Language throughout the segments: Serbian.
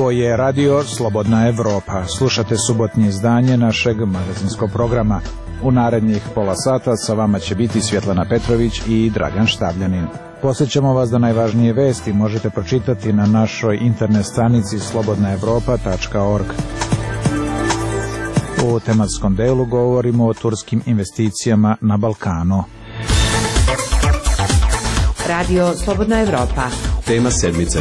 Ovo je Radio Slobodna Evropa. Slušate subotnje izdanje našeg magazinskog programa. U narednih pola sata sa vama će biti Svjetlana Petrović i Dragan Štavljanin. Podsjećamo vas da najvažnije vesti možete pročitati na našoj internet stranici slobodnaevropa.org. U tematskom delu govorimo o turskim investicijama na Balkanu. Radio Slobodna Evropa. Tema sedmice.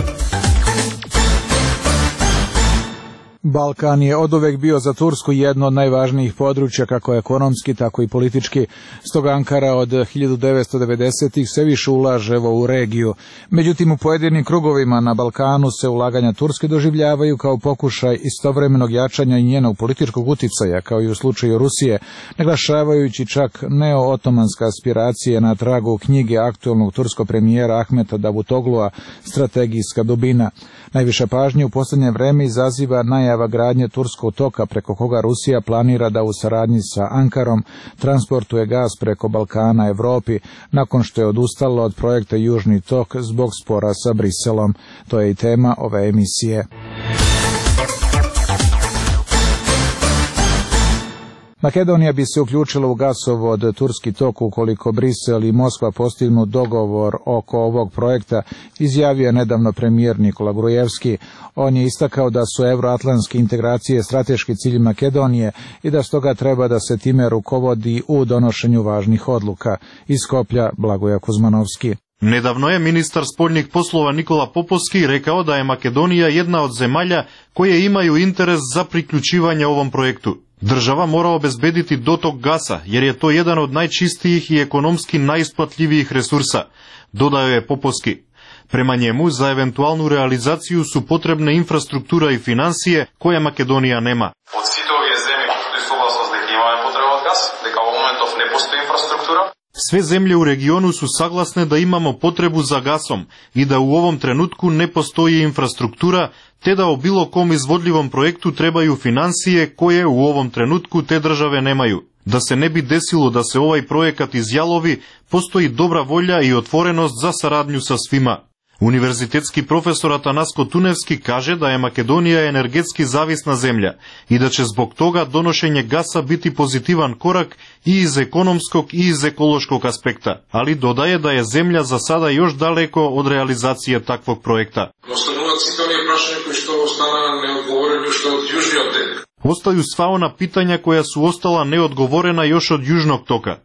Balkan je oduvek bio za Tursku jedno od najvažnijih područja, kako ekonomski, tako i politički. Stoga Ankara od 1990-ih se više ulaže u regiju. Međutim, u pojedinim krugovima na Balkanu se ulaganja Turske doživljavaju kao pokušaj istovremenog jačanja i njenog političkog uticaja, kao i u slučaju Rusije, naglašavajući čak neo-otomanska aspiracije na tragu knjige aktualnog turskog premijera Ahmeta Davutoglua Strategijska dubina. Najviše pažnje u posljednje vreme izaziva najava gradnje turskog toka preko koga Rusija planira da u saradnji sa Ankarom transportuje gas preko Balkana Evropi, nakon što je odustala od projekta Južni tok zbog spora sa Briselom. To je i tema ove emisije. Makedonija bi se uključila u gasovod Turski tok ukoliko Brisel i Moskva postignu dogovor oko ovog projekta, izjavio je nedavno premijer Nikola Grujevski. On je istakao da su evroatlantske integracije strateški cilj Makedonije i da stoga treba da se time rukovodi u donošenju važnih odluka. Iz Skoplja Blagoja Kuzmanovski. Nedavno je ministar spoljnih poslova Nikola Popovski rekao da je Makedonija jedna od zemalja koje imaju interes za priključivanje ovom projektu. Država mora obezbediti dotok gasa, jer je to jedan od najčistijih i ekonomski najisplatljivijih resursa, dodao je Popovski. Prema njemu, za eventualnu realizaciju su potrebne infrastruktura i finansije koje Makedonija nema. Od svih ovih zemlji koji su suglasnost da imaju potrebu od gas, da kao momentov ne postoji infrastruktura. Sve zemlje u regionu su saglasne da imamo potrebu za gasom i da u ovom trenutku ne postoji infrastruktura, te da o bilo kom izvodljivom projektu trebaju finansije koje u ovom trenutku te države nemaju. Da se ne bi desilo da se ovaj projekat izjalovi, postoji dobra volja i otvorenost za saradnju sa svima. Univerzitetski profesor Atanasko Tunevski kaže da je Makedonija energetski zavisna zemlja i da će zbog toga donošenje gasa biti pozitivan korak i iz ekonomskog i iz ekološkog aspekta, ali dodaje da je zemlja za sada još daleko od realizacije takvog projekta. Ostaju sva ona pitanja koja su ostala neodgovorena još od Južnog toka.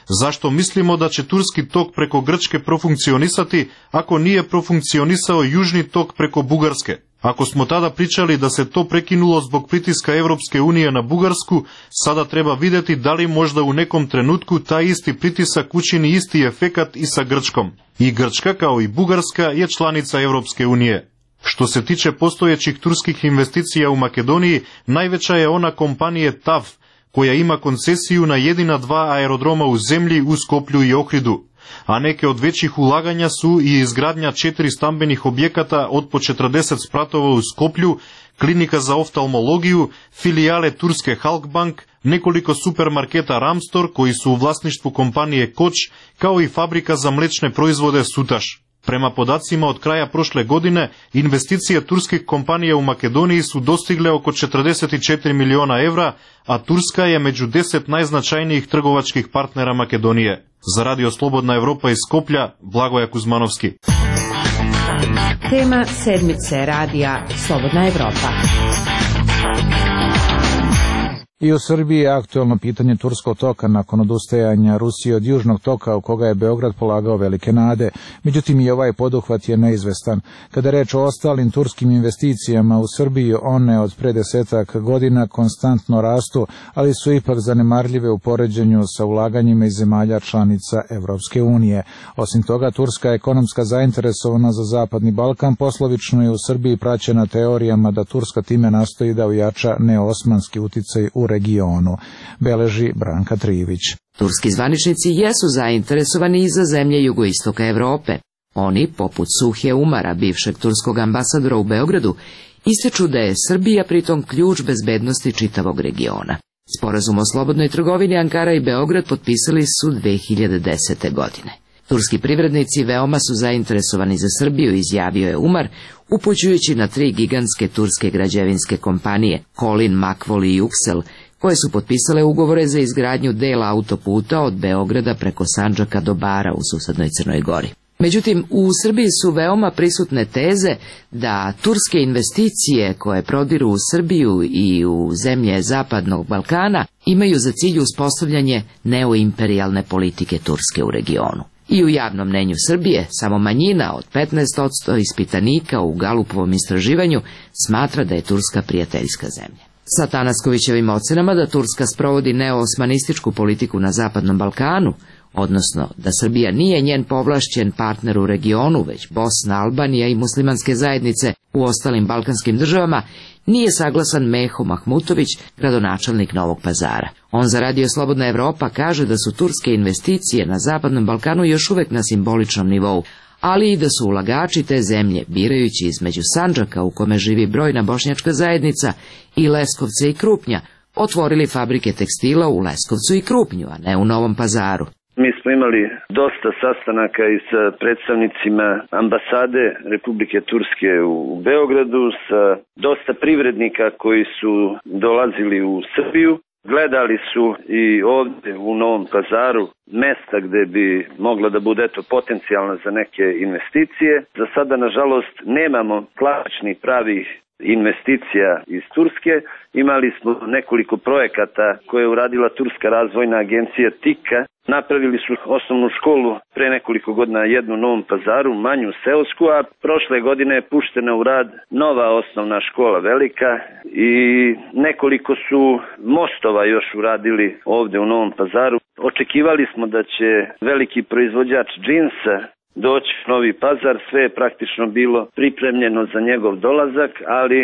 Zašto mislimo da će Turski tok preko Grčke profunkcionisati ako nije profunkcionisao Južni tok preko Bugarske? Ako smo tada pričali da se to prekinulo zbog pritiska Evropske unije na Bugarsku, sada treba vidjeti da li možda u nekom trenutku taj isti pritisak učini isti efekat i sa Grčkom. I Grčka, kao i Bugarska, je članica Evropske unije. Što se tiče postojećih turskih investicija u Makedoniji, najveća je ona kompanije TAV, koja ima koncesiju na jedina 2 aerodroma u zemlji u Skoplju i Ohridu, a neke od većih ulaganja su i izgradnja 4 stambenih objekata od po 40 spratova u Skoplju, klinika za oftalmologiju, filijale turske Halkbank, nekoliko supermarketa Ramstor koji su u vlasništvu kompanije Koč, kao i fabrika za mlečne proizvode Sutaš. Prema podacima od kraja prošle godine, investicije turskih kompanija u Makedoniji su dostigle oko 44 miliona evra, a Turska je među 10 najznačajnijih trgovačkih partnera Makedonije. Za Radio Slobodna Evropa iz Skoplja, Blagoja Kuzmanovski. Tema sedmice Radija Slobodna Evropa. I u Srbiji je aktualno pitanje Turskog toka nakon odustajanja Rusije od Južnog toka u koga je Beograd polagao velike nade. Međutim, i ovaj poduhvat je neizvestan. Kada je reč o ostalim turskim investicijama u Srbiji, one od pre 10 godina konstantno rastu, ali su ipak zanemarljive u poređenju sa ulaganjima iz zemalja članica Evropske unije. Osim toga, turska ekonomska zainteresovana za Zapadni Balkan poslovično je u Srbiji praćena teorijama da Turska time nastoji da ojača neosmanski uticaj u regionu, beleži Branka Trijević. Turski zvaničnici jesu zainteresovani i za zemlje jugoistoka Evrope. Oni, poput Suhje Umara, bivšeg turskog ambasadora u Beogradu, ističu da je Srbija pritom ključ bezbednosti čitavog regiona. Sporazum o slobodnoj trgovini Ankara i Beograd potpisali su 2010. godine. Turski privrednici veoma su zainteresovani za Srbiju, izjavio je Umar, upućujući na 3 gigantske turske građevinske kompanije, Kolin, Makvol i Yuksel, koje su potpisale ugovore za izgradnju dela autoputa od Beograda preko Sandžaka do Bara u susednoj Crnoj Gori. Međutim, u Srbiji su veoma prisutne teze da turske investicije koje prodiru u Srbiju i u zemlje Zapadnog Balkana imaju za cilj uspostavljanje neoimperijalne politike Turske u regionu. I u javnom mnenju Srbije samo manjina od 15% ispitanika u Galupovom istraživanju smatra da je Turska prijateljska zemlja. Sa Tanaskovićevim ocenama da Turska sprovodi neoosmanističku politiku na Zapadnom Balkanu, odnosno da Srbija nije njen povlašćen partner u regionu, već Bosna, Albanija i muslimanske zajednice u ostalim balkanskim državama, nije saglasan Meho Mahmutović, gradonačelnik Novog Pazara. On za Radio Slobodna Evropa kaže da su turske investicije na Zapadnom Balkanu još uvek na simboličnom nivou, ali i da su ulagači te zemlje, birajući između Sandžaka u kome živi brojna bošnjačka zajednica i Leskovca i Krupnja, otvorili fabrike tekstila u Leskovcu i Krupnju, a ne u Novom Pazaru. Mi smo imali dosta sastanaka i sa predstavnicima ambasade Republike Turske u Beogradu, sa dosta privrednika koji su dolazili u Srbiju. Gledali su i ovdje u Novom Pazaru mesta gde bi mogla da bude potencijalna za neke investicije. Za sada, nažalost, nemamo klasičnih pravih investicija iz Turske. Imali smo nekoliko projekata koje je uradila Turska razvojna agencija TIKA. Napravili su osnovnu školu pre nekoliko godina, jednu u Novom Pazaru, manju seosku, a prošle godine je puštena u rad nova osnovna škola velika i nekoliko su mostova još uradili ovde u Novom Pazaru. Očekivali smo da će veliki proizvođač džinsa doći u Novi Pazar, sve je praktično bilo pripremljeno za njegov dolazak, ali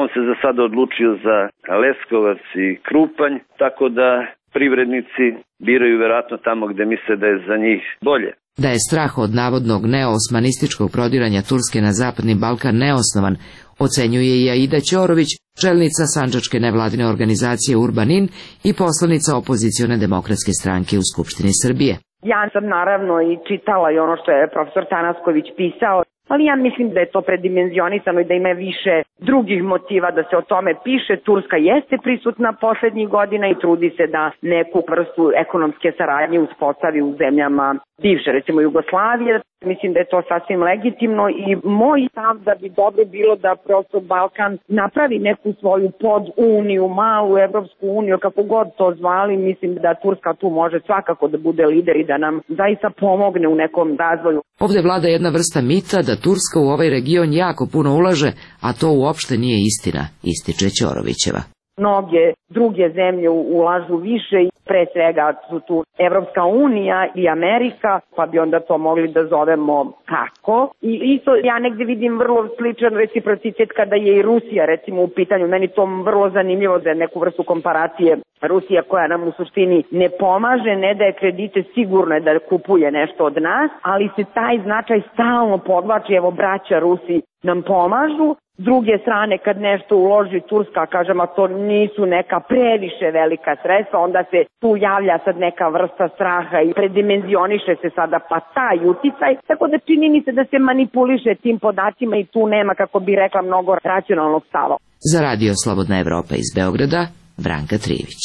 on se za sada odlučio za Leskovac i Krupanj, tako da privrednici biraju verovatno tamo gde misle da je za njih bolje. Da je strah od navodnog neoosmanističkog prodiranja Turske na Zapadni Balkan neosnovan, ocenjuje i Aida Ćorović, čelnica sandžačke nevladine organizacije Urbanin i poslanica opozicione demokratske stranke u Skupštini Srbije. Ja sam naravno i čitala i ono što je profesor Tanasković pisao, ali ja mislim da je to predimenzionisano i da ima više drugih motiva da se o tome piše. Turska jeste prisutna poslednjih godina i trudi se da neku vrstu ekonomske saradnje uspostavi u zemljama bivše, recimo Jugoslavije. Mislim da je to sasvim legitimno i moj stav da bi dobro bilo da prosto Balkan napravi neku svoju poduniju, malu Evropsku uniju, kako god to zvali. Mislim da Turska tu može svakako da bude lider i da nam zaista pomogne u nekom razvoju. Ovde vlada jedna vrsta mita da Turska u ovaj region jako puno ulaže, a to uopšte nije istina, ističe Ćorovićeva. Mnoge druge zemlje ulažu više i pre svega su tu Evropska unija i Amerika, pa bi onda to mogli da zovemo kako. I isto ja negde vidim vrlo sličan reciprocitet kada je i Rusija recimo u pitanju. Meni to vrlo zanimljivo za neku vrstu komparacije. Rusija koja nam u suštini ne pomaže, ne daje kredite, sigurno je da kupuje nešto od nas, ali se taj značaj stalno podvlači, evo braća Rusi nam pomažu. S druge strane, kad nešto uloži Turska, kažem, a to nisu neka previše velika sredstva, onda se tu javlja sad neka vrsta straha i predimenzioniše se sada pa taj uticaj. Tako da čini mi se da se manipuliše tim podacima i tu nema, kako bi rekla, mnogo racionalnog stava. Za Radio Slobodna Evropa iz Beograda, Branka Trivić.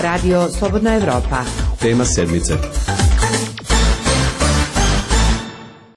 Radio Slobodna Evropa. Tema sedmice.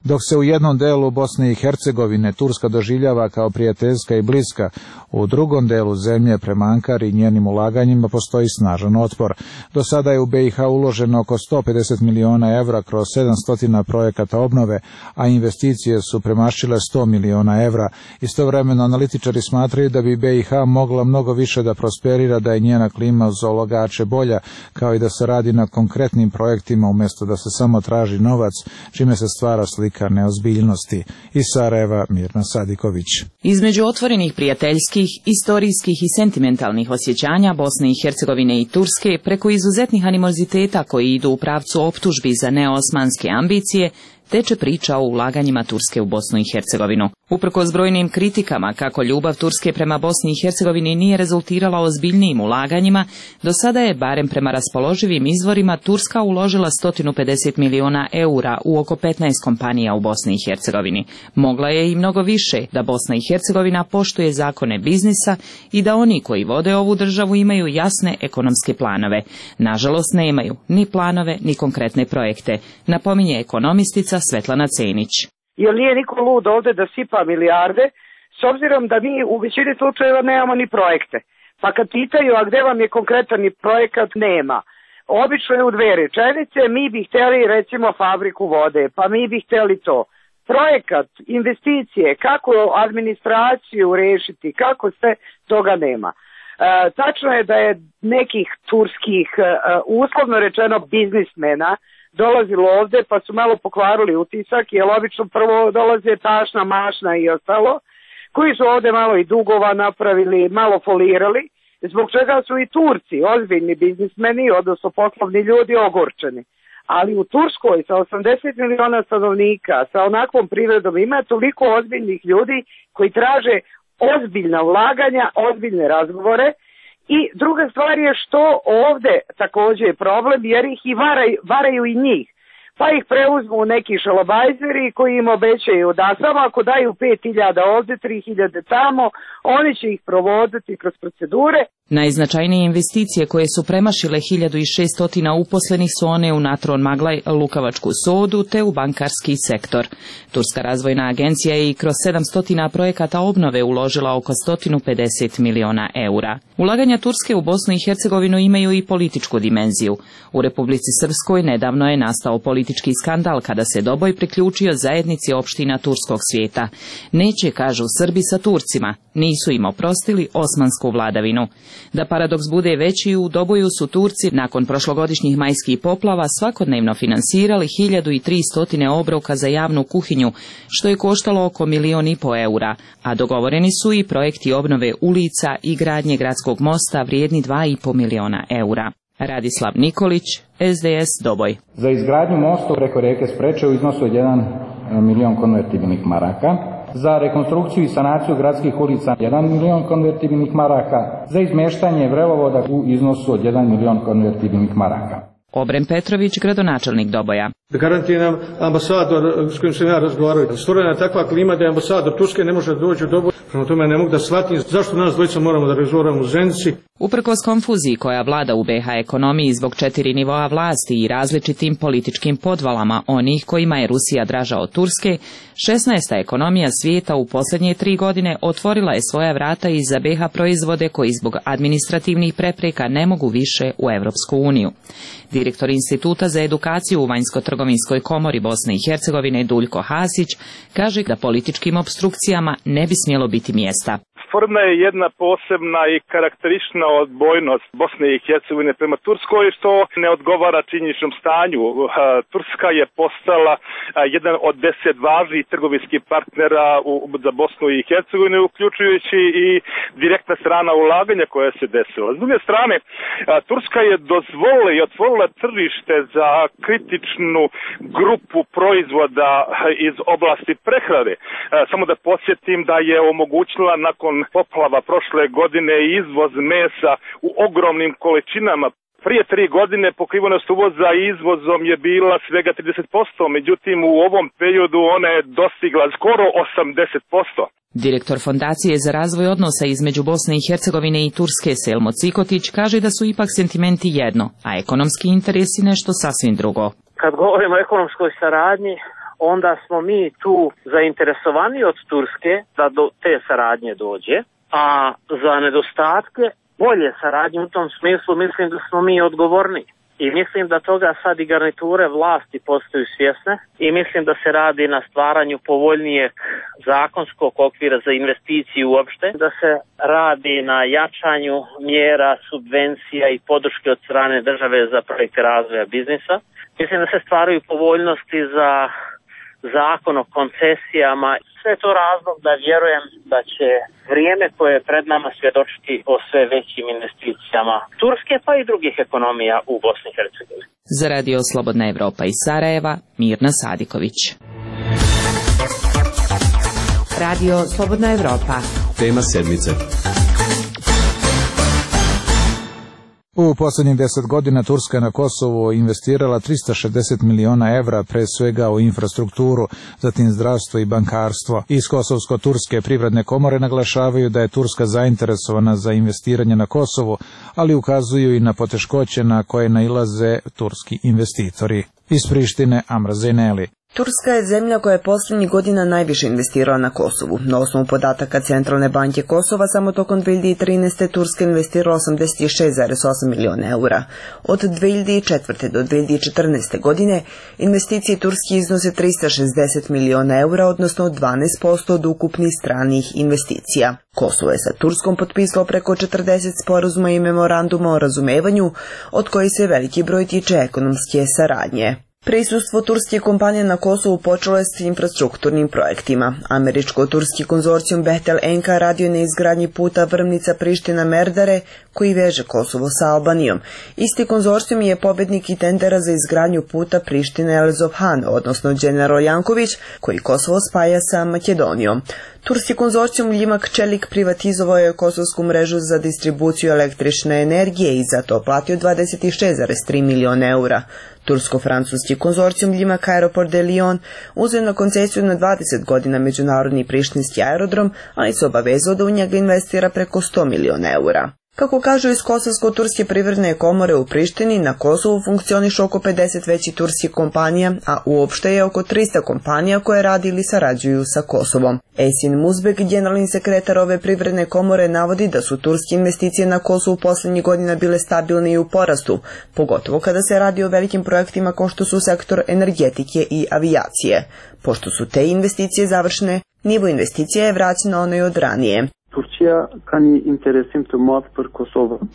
Dok se u jednom delu Bosne i Hercegovine Turska doživljava kao prijateljska i bliska, u drugom delu zemlje prema Ankari i njenim ulaganjima postoji snažan otpor. Do sada je u BiH uloženo oko 150 miliona evra kroz 700 projekata obnove, a investicije su premašile 100 miliona evra. Istovremeno analitičari smatraju da bi BiH mogla mnogo više da prosperira, da je njena klima za ulagače bolja, kao i da se radi na konkretnim projektima umjesto da se samo traži novac, čime se stvara slika neozbiljnosti. Iz Sarajeva, Mirna Sadiković. Između otvorenih prijateljskih, istorijskih i sentimentalnih osjećanja Bosne i Hercegovine i Turske, preko izuzetnih animoziteta koji idu u pravcu optužbi za neosmanske ambicije, teče priča o ulaganjima Turske u Bosnu i Hercegovinu. Uprkos brojnim kritikama kako ljubav Turske prema Bosni i Hercegovini nije rezultirala ozbiljnijim ulaganjima, do sada je, barem prema raspoloživim izvorima, Turska uložila 150 miliona eura u oko 15 kompanija u Bosni i Hercegovini. Mogla je i mnogo više da Bosna i Hercegovina poštuje zakone biznisa i da oni koji vode ovu državu imaju jasne ekonomske planove. Nažalost, nemaju ni planove ni konkretne projekte, napominje ekonomistica Svetlana Cenić. Jer nije niko lud ovde da sipa milijarde, s obzirom da mi u većini slučajeva nemamo ni projekte. Pa kad pitaju, a gde vam je konkretan projekat, nema. Obično je u dve rečenice, mi bi hteli recimo fabriku vode, pa mi bi hteli to. Projekat, investicije, kako administraciju rešiti, kako sve, toga nema. Tačno je da je nekih turskih, uslovno rečeno, biznismena dolazilo ovde pa su malo pokvarili utisak, jer obično prvo dolaze tašna, mašna i ostalo, koji su ovde malo i dugova napravili, malo folirali, zbog čega su i Turci, ozbiljni biznismeni, odnosno poslovni ljudi, ogorčeni. Ali u Turskoj sa 80 miliona stanovnika, sa onakvom privredom ima toliko ozbiljnih ljudi koji traže ozbiljna ulaganja, ozbiljne razgovore. I druga stvar je što ovde takođe je problem, jer ih i varaju i njih. Pa ih preuzmu neki šalabajzeri koji im obećaju da samo ako daju 5.000 ovde, 3.000 tamo, oni će ih provoditi kroz procedure. Najznačajnije investicije koje su premašile 1600 uposlenih su one u Natron Maglaj, Lukavačku sodu te u bankarski sektor. Turska razvojna agencija je i kroz 700 projekata obnove uložila oko 150 miliona eura. Ulaganja Turske u Bosnu i Hercegovinu imaju i političku dimenziju. U Republici Srpskoj nedavno je nastao politički skandal kada se Doboj priključio zajednici opština turskog svijeta. Neće, kažu Srbi, sa Turcima, nisu im oprostili osmansku vladavinu. Da paradoks bude veći, u Doboju su Turci nakon prošlogodišnjih majskih poplava svakodnevno finansirali 1300 obroka za javnu kuhinju, što je koštalo oko 1,5 miliona eura, a dogovoreni su i projekti obnove ulica i gradnje gradskog mosta vrijedni 2,5 miliona eura. Radislav Nikolić, SDS Doboj. Za izgradnju mosta preko reke Spreče u iznosu od 1 milion konvertibilnih maraka, za rekonstrukciju i sanaciju gradskih ulica 1 milion konvertibilnih maraka, za izmeštanje vrelovoda u iznosu od 1 milion konvertibilnih maraka. Obren Petrović, gradonačelnik Doboja. Garantiram, ambasador s kojim sam ja razgovarao, stvorena je takva klima da je ambasador Turske ne može doći u Doboj. Prema tome ne mogu da shvatim zašto nas dvojica moramo da razgovaramo u Zenici. Uprkos konfuziji koja vlada u BiH ekonomiji zbog 4 nivoa vlasti i različitim političkim podvalama onih kojima je Rusija draža od Turske, 16. ekonomija svijeta u posljednje 3 godine otvorila je svoja vrata i za BiH proizvode koji zbog administrativnih prepreka ne mogu više u Evropsku uniju. Direktor Instituta za edukaciju u Vanjsko-trgovinskoj komori Bosne i Hercegovine Duljko Hasić kaže da političkim opstrukcijama ne bi smjelo biti mjesta. Stvorena je jedna posebna i karakteristična odbojnost Bosne i Hercegovine prema Turskoj, što ne odgovara činjeničnom stanju. Turska je postala jedan od 10 važnijih trgovinskih partnera za Bosnu i Hercegovinu, uključujući i direktna strana ulaganja koja se desila. S druge strane, Turska je dozvolila i otvorila tržište za kritičnu grupu proizvoda iz oblasti prehrane. Samo da podsjetim da je omogućila nakon poplava prošle godine izvoz mesa u ogromnim količinama. Prije 3 godine pokrivenost uvoza izvozom je bila svega 30%, međutim u ovom periodu ona je dostigla skoro 80%. Direktor Fondacije za razvoj odnosa između Bosne i Hercegovine i Turske Selmo Cikotić kaže da su ipak sentimenti jedno, a ekonomski interesi nešto sasvim drugo. Kad govorimo o ekonomskoj saradnji, onda smo mi tu zainteresovani od Turske da do te saradnje dođe, a za nedostatke bolje saradnje u tom smislu mislim da smo mi odgovorni. I mislim da toga sad i garniture vlasti postaju svjesne i mislim da se radi na stvaranju povoljnijeg zakonskog okvira za investiciju uopšte, da se radi na jačanju mjera, subvencija i podrške od strane države za projekte razvoja biznisa. Mislim da se stvaraju povoljnosti za zakon o koncesijama. Sve je to razlog da vjerujem da će vrijeme koje je pred nama svjedočiti o sve većim investicijama Turske pa i drugih ekonomija u Bosni i Hercegovini. Za Radio Slobodna Evropa iz Sarajeva, Mirna Sadiković. Radio Slobodna Evropa. Tema sedmice. U posljednjih 10 godina Turska je na Kosovu investirala 360 miliona evra, pre svega u infrastrukturu, zatim zdravstvo i bankarstvo. Iz Kosovsko-turske privredne komore naglašavaju da je Turska zainteresovana za investiranje na Kosovu, ali ukazuju i na poteškoće na koje nailaze turski investitori. Iz Prištine, Amra Zejneli. Turska je zemlja koja je posljednjih godina najviše investirala na Kosovu. Na osnovu podataka Centralne banke Kosova, samo tokom 2013. Turska investirala 86,8 miliona eura. Od 2004. do 2014. godine investicije Turske iznose 360 miliona eura, odnosno 12% od ukupnih stranih investicija. Kosovo je sa Turskom potpisalo preko 40 sporazuma i memoranduma o razumevanju, od kojih se veliki broj tiče ekonomske saradnje. Prisustvo turske kompanije na Kosovu počelo je s infrastrukturnim projektima. Američko-turski konzorcijum Bechtel Enka radio je na izgradnji puta Vrmnica-Priština-Merdare, koji veže Kosovo sa Albanijom. Isti konzorcijum je pobednik i tendera za izgradnju puta Priština-Elzovhan, odnosno General Janković, koji Kosovo spaja sa Makedonijom. Turski konzorcijum Ljimak Čelik privatizovao je kosovsku mrežu za distribuciju električne energije i za to platio 26,3 miliona eura. Tursko-francuski konzorcijum Ljimak Aeroport de Lyon uzeo na koncesiju na 20 godina međunarodni prištinski aerodrom, ali se obavezao da u njega investira preko 100 miliona eura. Kako kažu iz Kosovsko-turske privredne komore u Prištini, na Kosovu funkcioniše oko 50 većih turskih kompanija, a uopšte je oko 300 kompanija koje radi ili sarađuju sa Kosovom. Esin Muzbek, generalni sekretar ove privredne komore, navodi da su turske investicije na Kosovu posljednjih godina bile stabilne i u porastu, pogotovo kada se radi o velikim projektima kao što su sektor energetike i avijacije. Pošto su te investicije završene, nivo investicija je vraćen na onaj od ranije.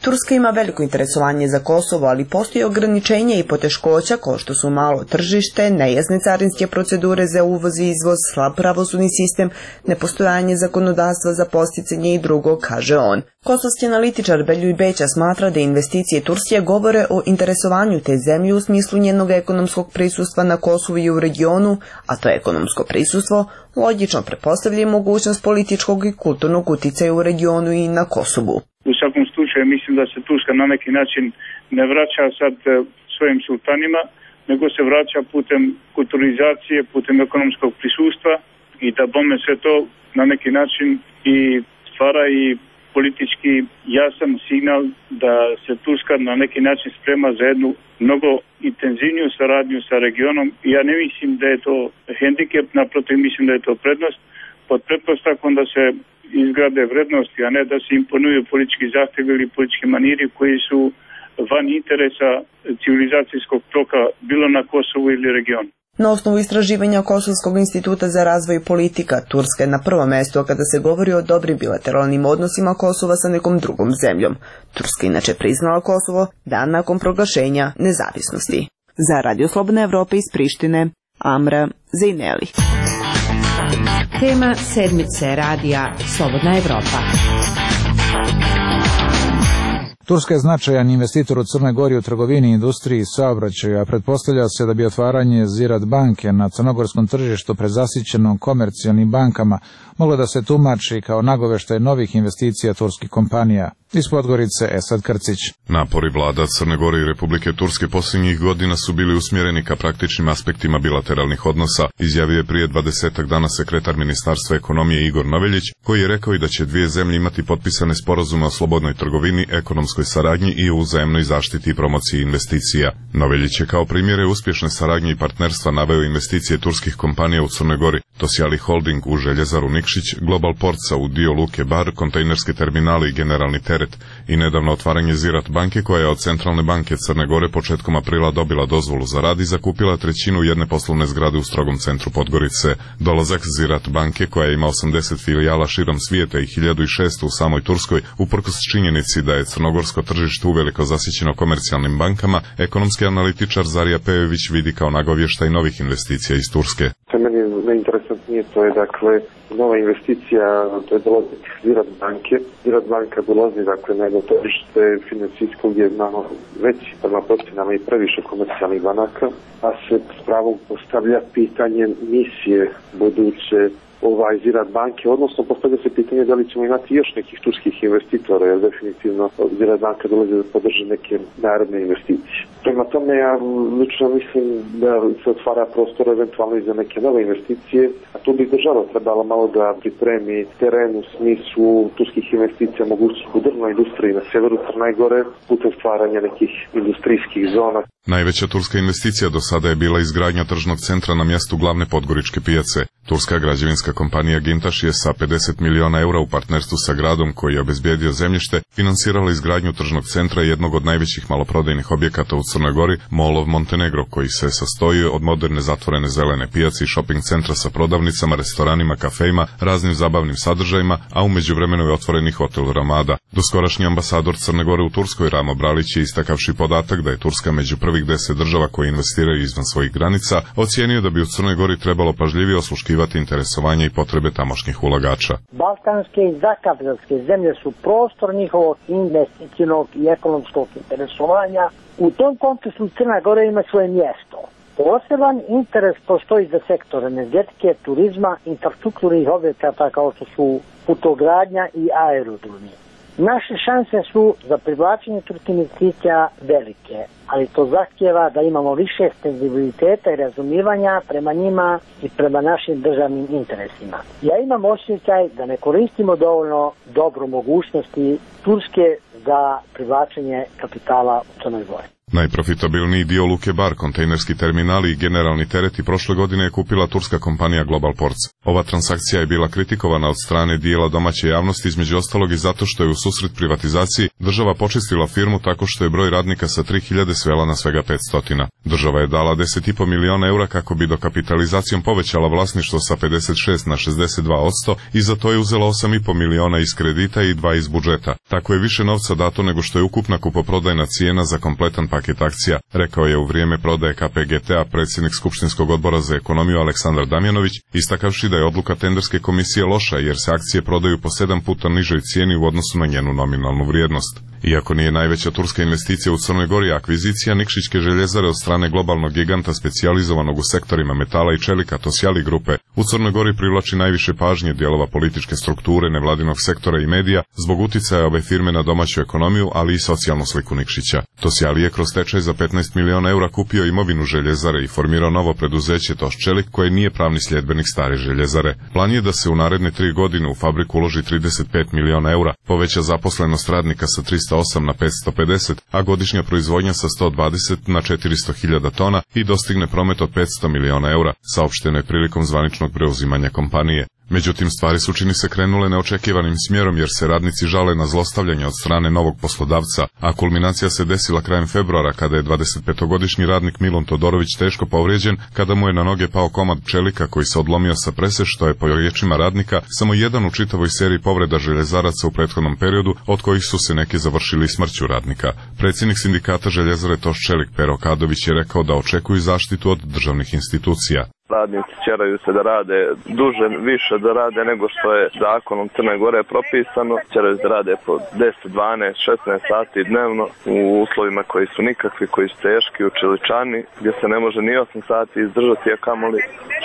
Turska ima veliko interesovanje za Kosovo, ali postoji ograničenja i poteškoća kao što su malo tržište, nejasne carinske procedure za uvoz i izvoz, slab pravosudni sistem, nepostojanje zakonodavstva za posticanje i drugo, kaže on. Kosovski analitičar Beljuj Beća smatra da investicije Turske govore o interesovanju te zemlje u smislu njenog ekonomskog prisustva na Kosovu i u regionu, a to ekonomsko prisustvo logično pretpostavlja mogućnost političkog i kulturnog uticaja u regionu i na Kosovu. U svakom slučaju mislim da se Turska na neki način ne vraća sad svojim sultanima, nego se vraća putem kulturizacije, putem ekonomskog prisustva i da bome sve to na neki način i stvara i politički jasan signal da se Turska na neki način sprema za jednu mnogo intenzivniju saradnju sa regionom. Ja ne mislim da je to hendikep, naprotiv mislim da je to prednost, pod pretpostavkom da se izgrade vrednosti, a ne da se imponuju politički zahtjevi ili politički maniri koji su van interesa civilizacijskog toka bilo na Kosovu ili regionu. Na osnovu istraživanja Kosovskog instituta za razvoj politika, Turska je na prvom mjestu kada se govori o dobrim bilateralnim odnosima Kosova sa nekom drugom zemljom. Turska inače priznala Kosovo dan nakon proglašenja nezavisnosti. Za Radio Slobodna Evropa iz Prištine, Amra Zejneli. Tema sedmice radija Slobodna Evropa. Turska je značajan investitor u Crnoj Gori u trgovini, industriji i saobraćaju, a pretpostavlja se da bi otvaranje Ziraat banke na crnogorskom tržištu prezasićenom komercijalnim bankama moglo da se tumači kao nagoveštaj novih investicija turskih kompanija. Iz Podgorice, Esad Krcić. Napori vlada Crne Gore i Republike Turske posljednjih godina su bili usmjereni ka praktičnim aspektima bilateralnih odnosa, izjavio je prije 20 dana sekretar Ministarstva ekonomije Igor Noveljić, koji je rekao i da će dvije zemlje imati potpisane sporazume o slobodnoj trgovini, ekonomskoj saradnji i o uzajamnoj zaštiti i promociji investicija. Noveljić je kao primjere uspješne saradnje i partnerstva naveo investicije turskih kompanija u Crnoj Gori, Tosjali Holding u Željezaru Nikšić, Global Portsa u dio Luke Bar, kontejnerske terminali i generalni teret i nedavno otvaranje Ziraat banke koja je od Centralne banke Crne Gore početkom aprila dobila dozvolu za rad i zakupila trećinu jedne poslovne zgrade u strogom centru Podgorice. Dolazak Ziraat banke koja ima 80 filijala širom svijeta i 1600 u samoj Turskoj, uprkos činjenici da je crnogorsko tržište uveliko zasićeno komercijalnim bankama, ekonomski analitičar Zarija Pejović vidi kao nagovještaj novih investicija iz Turske. Meni je najinteresantnije najvažnije, to je dakle nova investicija, to je dolazak Ziraat banke. Ziraat banka dolazi dakle na jedno tržište financijsko gdje je znamo veći prema procenama i previše komercijalnih banaka, a se s pravom postavlja pitanje misije buduće Ziraat banke, odnosno postavlja se pitanje da li ćemo imati još nekih turskih investitora, jer definitivno Ziraat banka dolazi da podrži neke naredne investicije. Prema tome, ja lično mislim da se otvara prostor eventualno i za neke nove investicije, a tu bi država trebala malo da pripremi teren u smislu turskih investicija mogućih u drvnoj industriji na severu Crne Gore putem stvaranja nekih industrijskih zona. Najveća turska investicija do sada je bila izgradnja tržnog centra na mjestu glavne podgoričke pijace. Turska građevinska kompanija Gintaš je sa 50 miliona eura u partnerstvu sa gradom koji je obezbijedio zemljište finansirala izgradnju tržnog centra jednog od najvećih maloprodajnih objekata u Crnoj Gori, Mall of Montenegro, koji se sastoji od moderne zatvorene zelene pijace i shopping centra sa prodavnicama, restoranima, kafejima, raznim zabavnim sadržajima, a u međuvremenu je otvoren i hotel Ramada. Doskorašnji ambasador Crne Gore u Turskoj Ramo Bralić je, istakavši podatak da je Turska među prvih 10 država koje investiraju izvan svojih granica, ocijenio da bi u Crnoj Gori trebalo pažljivije osluškivati interesovanje i potrebe tamošnjih ulagača. Balkanske i zakavkazske zemlje su prostor njihovog investicionog i ekonomskog interesovanja. U tom kontekstu Crna Gora ima svoje mjesto. Poseban interes postoji za sektor energetike, turizma, infrastrukturnih objekata kao što su putogradnja i aerodromi. Naše šanse su za privlačenje turskih investicija velike, ali to zahtjeva da imamo više senzibiliteta i razumijevanja prema njima i prema našim državnim interesima. Ja imam osjećaj da ne koristimo dovoljno dobro mogućnosti Turske za privlačenje kapitala u Crnoj Gori. Najprofitabilniji dio luke Bar, kontejnerski terminali i generalni tereti prošle godine je kupila turska kompanija Global Ports. Ova transakcija je bila kritikovana od strane dijela domaće javnosti, između ostalog i zato što je u susret privatizaciji država počistila firmu tako što je broj radnika sa 3000 svela na svega 500. Država je dala 10,5 miliona eura kako bi dokapitalizacijom povećala vlasništvo sa 56 na 62% i za to je uzela 8,5 miliona iz kredita i 2 iz budžeta. Tako je više novca dato nego što je ukupna kupoprodajna cijena za kompletan paket akcija, rekao je u vrijeme prodaje KPGT-a predsjednik Skupštinskog odbora za ekonomiju Aleksandar Damjanović, istakavši da je odluka tenderske komisije loša jer se akcije prodaju po 7 puta nižoj cijeni u odnosu na njenu nominalnu vrijednost. Iako nije najveća turska investicija u Crnoj Gori, akvizicija Nikšićke željezare od strane globalnog giganta specijalizovanog u sektorima metala i čelika Tosjali grupe u Crnoj Gori privlači najviše pažnje dijelova političke strukture, nevladinog sektora i medija zbog uticaja ove firme na domaću ekonomiju, ali i socijalnu sliku Nikšića. Tosjali je kroz stečaj za 15 miliona eura kupio imovinu željezare i formirao novo preduzeće Toščelik koje nije pravni sljedbenik stare željezare. Plan je da se u naredne 3 godine u fabriku uloži 35 miliona eura, poveća zaposlenost radnika sa 308 na 550, a godišnja proizvodnja sa 120 na 400.000 tona i dostigne promet od 500 miliona eura, saopšteno je prilikom zvaničnog preuzimanja kompanije. Međutim, stvari su čini se krenule neočekivanim smjerom jer se radnici žale na zlostavljanje od strane novog poslodavca, a kulminacija se desila krajem februara kada je 25-godišnji radnik Milun Todorović teško povrijeđen kada mu je na noge pao komad čelika koji se odlomio sa prese, što je po riječima radnika samo jedan u čitavoj seriji povreda željezaraca u prethodnom periodu, od kojih su se neki završili smrću radnika. Predsjednik sindikata željezare Toščelik Pero Kadović je rekao da očekuju zaštitu od državnih institucija. Radnici ćeraju se da rade duže, više da rade nego što je zakonom Crne Gore propisano. Ćeraju se da rade po 10, 12, 16 sati dnevno u uslovima koji su nikakvi, koji su teški, u čeličani, gdje se ne može ni 8 sati izdržati, a kamoli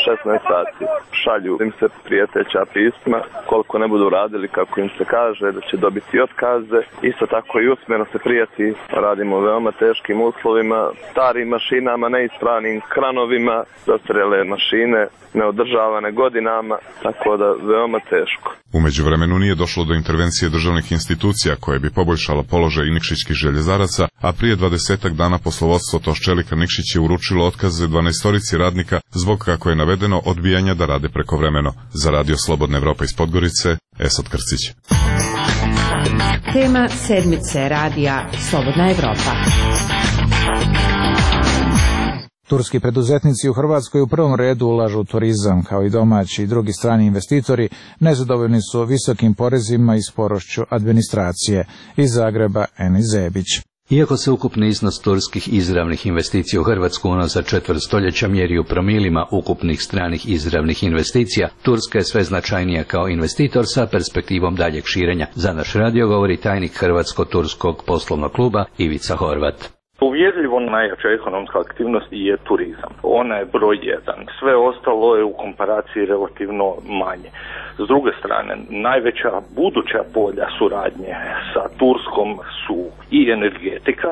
16 sati. Šalju im se prijeteća pisma, koliko ne budu radili kako im se kaže, da će dobiti otkaze. Isto tako i usmjerno se prijeti, radimo u veoma teškim uslovima, starim mašinama, neispravnim kranovima, zastarjele mašine, neodržavane godinama, tako da veoma teško. U međuvremenu nije došlo do intervencije državnih institucija koje bi poboljšalo položaj nikšićkih željezaraca, a prije 20 dana poslovodstvo Toščelika Nikšić je uručilo otkaze 12 radnika zbog, kako je navedeno, odbijanja da rade prekovremeno. Za Radio Slobodna Evropa iz Podgorice, Esad Krcić. Tema sedmice radija Slobodna Evropa. Turski preduzetnici u Hrvatskoj u prvom redu ulažu u turizam, kao i domaći i drugi strani investitori, nezadovoljni su visokim porezima i sporošću administracije. Iz Zagreba, Eni Zebić. Iako se ukupni iznos turskih izravnih investicija u Hrvatsku unazad četvrt stoljeća mjeri u promilima ukupnih stranih izravnih investicija, Turska je sve značajnija kao investitor sa perspektivom daljeg širenja. Za naš radio govori tajnik Hrvatsko-turskog poslovnog kluba Ivica Horvat. Uvjerljivo najjača ekonomska aktivnost je turizam. Ona je broj jedan. Sve ostalo je u komparaciji relativno manje. S druge strane, najveća buduća polja suradnje sa Turskom su i energetika.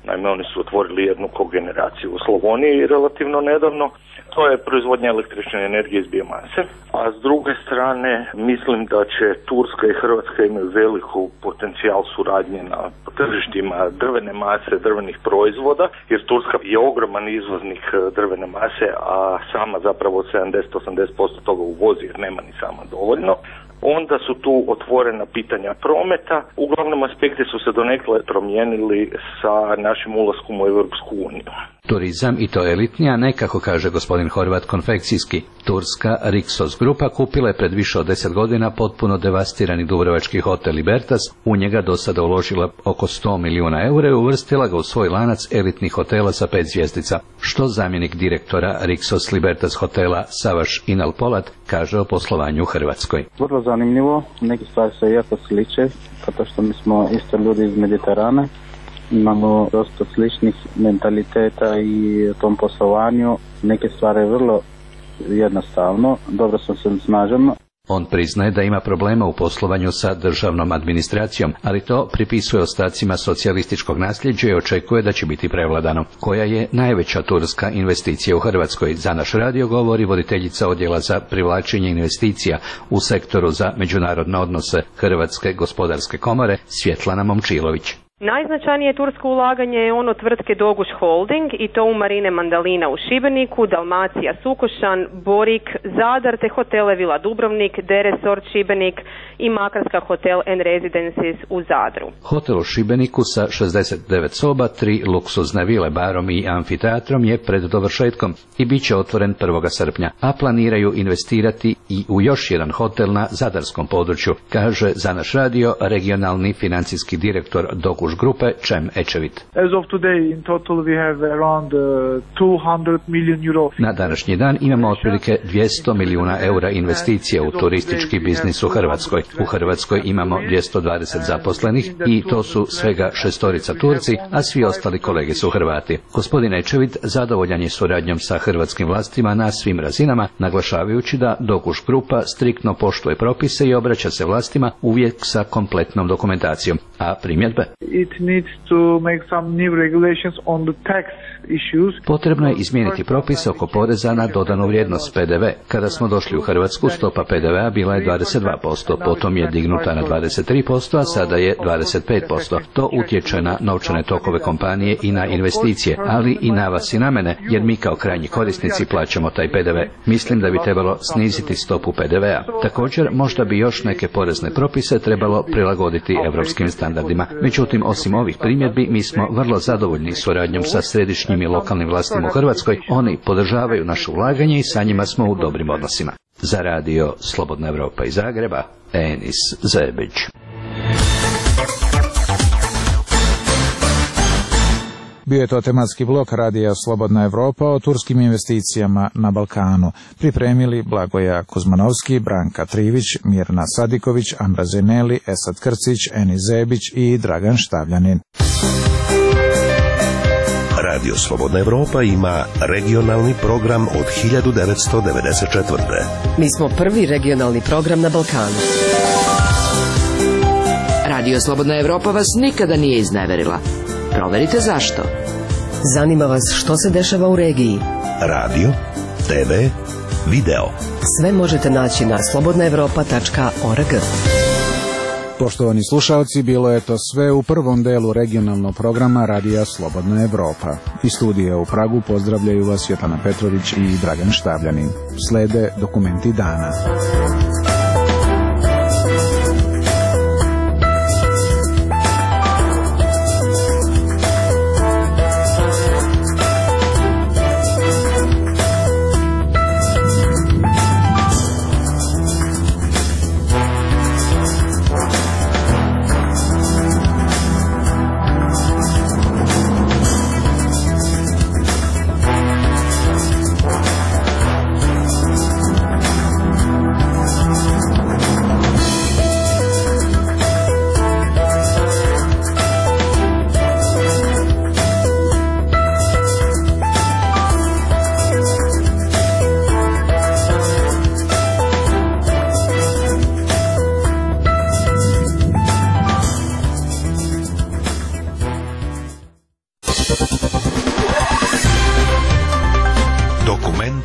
Naime, oni su otvorili jednu kogeneraciju u Slavoniji relativno nedavno. To je proizvodnja električne energije iz biomase. A s druge strane, mislim da će Turska i Hrvatska imaju veliku potencijal suradnje na tržištima drvene mase, drvenih proizvoda, jer Turska je ogroman izvoznik drvene mase, a sama zapravo 70-80% toga uvozi jer nema ni sama dovoljno. Onda su tu otvorena pitanja prometa. Uglavnom aspekti su se donekle promijenili sa našim ulaskom u Europsku uniju. Turizam, i to elitnija, ne kako kaže gospodin Horvat konfekcijski. Turska Rixos grupa kupila je pred više od 10 godina potpuno devastirani dubrovački hotel Libertas, u njega do sada uložila oko 100 milijuna eura i uvrstila ga u svoj lanac elitnih hotela sa 5 zvjezdica. Što zamjenik direktora Rixos Libertas hotela Savaš Inal Polat kaže o poslovanju u Hrvatskoj. Vrlo zanimljivo, neke stvari se jako sliče, zato što mi smo isto ljudi iz Mediterana. Imamo dosta sličnih mentaliteta i u tom poslovanju. Neke stvari vrlo jednostavno, dobro se snažimo. On priznaje da ima problema u poslovanju sa državnom administracijom, ali to pripisuje ostacima socijalističkog nasljeđa i očekuje da će biti prevladano. Koja je najveća turska investicija u Hrvatskoj? Za naš radio govori voditeljica odjela za privlačenje investicija u sektoru za međunarodne odnose Hrvatske gospodarske komore Svjetlana Momčilović. Najznačajnije tursko ulaganje je ono tvrtke Doguš Holding i to u Marine Mandalina u Šibeniku, Dalmacija Sukošan, Borik, Zadar te hotele Vila Dubrovnik, Deresort Šibenik i Makarska Hotel and Residences u Zadru. Hotel u Šibeniku sa 69 soba, 3 luksuzne vile, barom i amfiteatrom je pred dovršetkom i bit će otvoren 1. srpnja, a planiraju investirati i u još jedan hotel na zadarskom području, kaže za naš radio regionalni financijski direktor Doguš grupe Čem Ečevit. Na današnji dan imamo otprilike 200 milijuna eura investicija u turistički biznis u Hrvatskoj. U Hrvatskoj imamo 220 zaposlenih i to su svega 6 Turci, a svi ostali kolege su Hrvati. Gospodin Ečevit zadovoljan je suradnjom sa hrvatskim vlastima na svim razinama, naglašavajući da Doguš grupa striktno poštuje propise i obraća se vlastima uvijek sa kompletnom dokumentacijom. A primjedbe? Potrebno je izmijeniti propise oko poreza na dodanu vrijednost PDV. Kada smo došli u Hrvatsku, stopa PDV-a bila je 22%, potom je dignuta na 23%, a sada je 25%. To utječe na novčane tokove kompanije i na investicije, ali i na vas i na mene, jer mi kao krajnji korisnici plaćamo taj PDV. Mislim da bi trebalo sniziti stopu PDV-a. Također, možda bi još neke porezne propise trebalo prilagoditi europskim standardima. Međutim, osim ovih primjedbi, mi smo vrlo zadovoljni suradnjom sa središnjim i lokalnim vlastima u Hrvatskoj. Oni podržavaju naše ulaganje i sa njima smo u dobrim odnosima. Za radio Slobodna Evropa iz Zagreba, Enis Zebić. Bio je to tematski blok radija Slobodna Evropa o turskim investicijama na Balkanu. Pripremili Blagoja Kuzmanovski, Branka Trivić, Mirna Sadiković, Amra Zeneli, Esad Krcić, Enis Zebić i Dragan Štavljanin. Radio Slobodna Evropa ima regionalni program od 1994. Mi smo prvi regionalni program na Balkanu. Radio Slobodna Evropa vas nikada nije izneverila. Proverite zašto. Zanima vas što se dešava u regiji. Radio, TV, video. Sve možete naći na slobodnaevropa.org. Poštovani slušalci, bilo je to sve u prvom delu regionalnog programa Radija Slobodna Evropa. Iz studija u Pragu pozdravljaju vas Svetlana Petrović i Dragan Štavljanin. Slede dokumenti dana.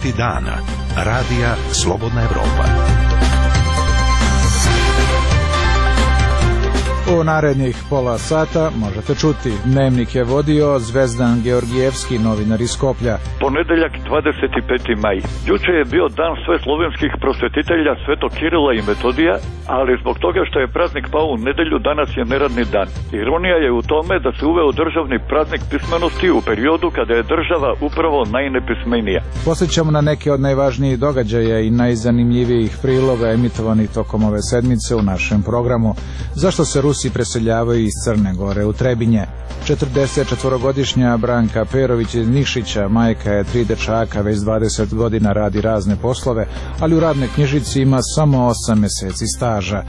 Savjeti dana. Radija Slobodna Evropa. U narednih pola sata možete čuti. Dnevnik je vodio Zvezdan Georgijevski, novinar iz Skoplja. Ponedeljak 25. maj. Juče je bio dan sve slovenskih prosvetitelja Svetog Kirila i Metodija, ali zbog toga što je praznik pao u nedelju, danas je neradni dan. Ironija je u tome da se uveo državni praznik pismenosti u periodu kada je država upravo najnepismenija. Posjećamo na neke od najvažnijih događaja i najzanimljivijih priloga emitovanih tokom ove sedmice u našem programu. Zašto se Rusi preseljavaju iz Crne Gore u Trebinje? 44-godišnja Branka Perović iz Nišića, majka je 3 dečaka, već 20 godina radi razne poslove, ali u radnoj knjižici ima samo 8 meseci staža.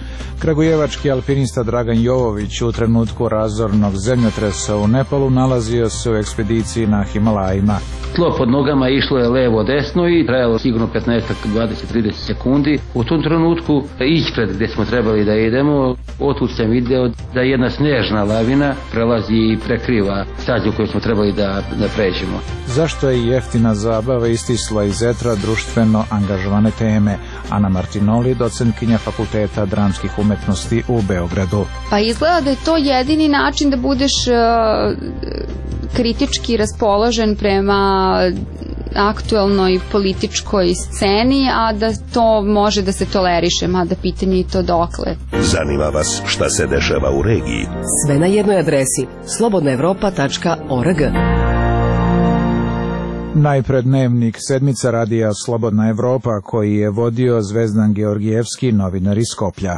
Kragujevački alpinista Dragan Jovović u trenutku razornog zemljotresa u Nepalu nalazio se u ekspediciji na Himalajima. Tlo pod nogama išlo je levo desno i trajalo sigurno 15, 20, 30 sekundi. U tom trenutku ispred gdje smo trebali da idemo, otud sam video da jedna snežna lavina prelazi i prekriva stazu koju smo trebali da pređemo. Zašto je jeftina zabava istisla iz etra društveno angažovane teme? Ana Martinoli, docentkinja Fakulteta dramskih umetnosti u Beogradu. Pa izgleda da je to jedini način da budeš kritički raspoložen prema aktuelnoj političkoj sceni, a da to može da se toleriše, mada pitanje i to dokle. Zanima vas šta se dešava u regiji? Sve na jednoj adresi slobodnaevropa.org. Najpred dnevnik sedmica radija Slobodna Evropa, koji je vodio Zvezdan Georgijevski, novinar iz Skoplja.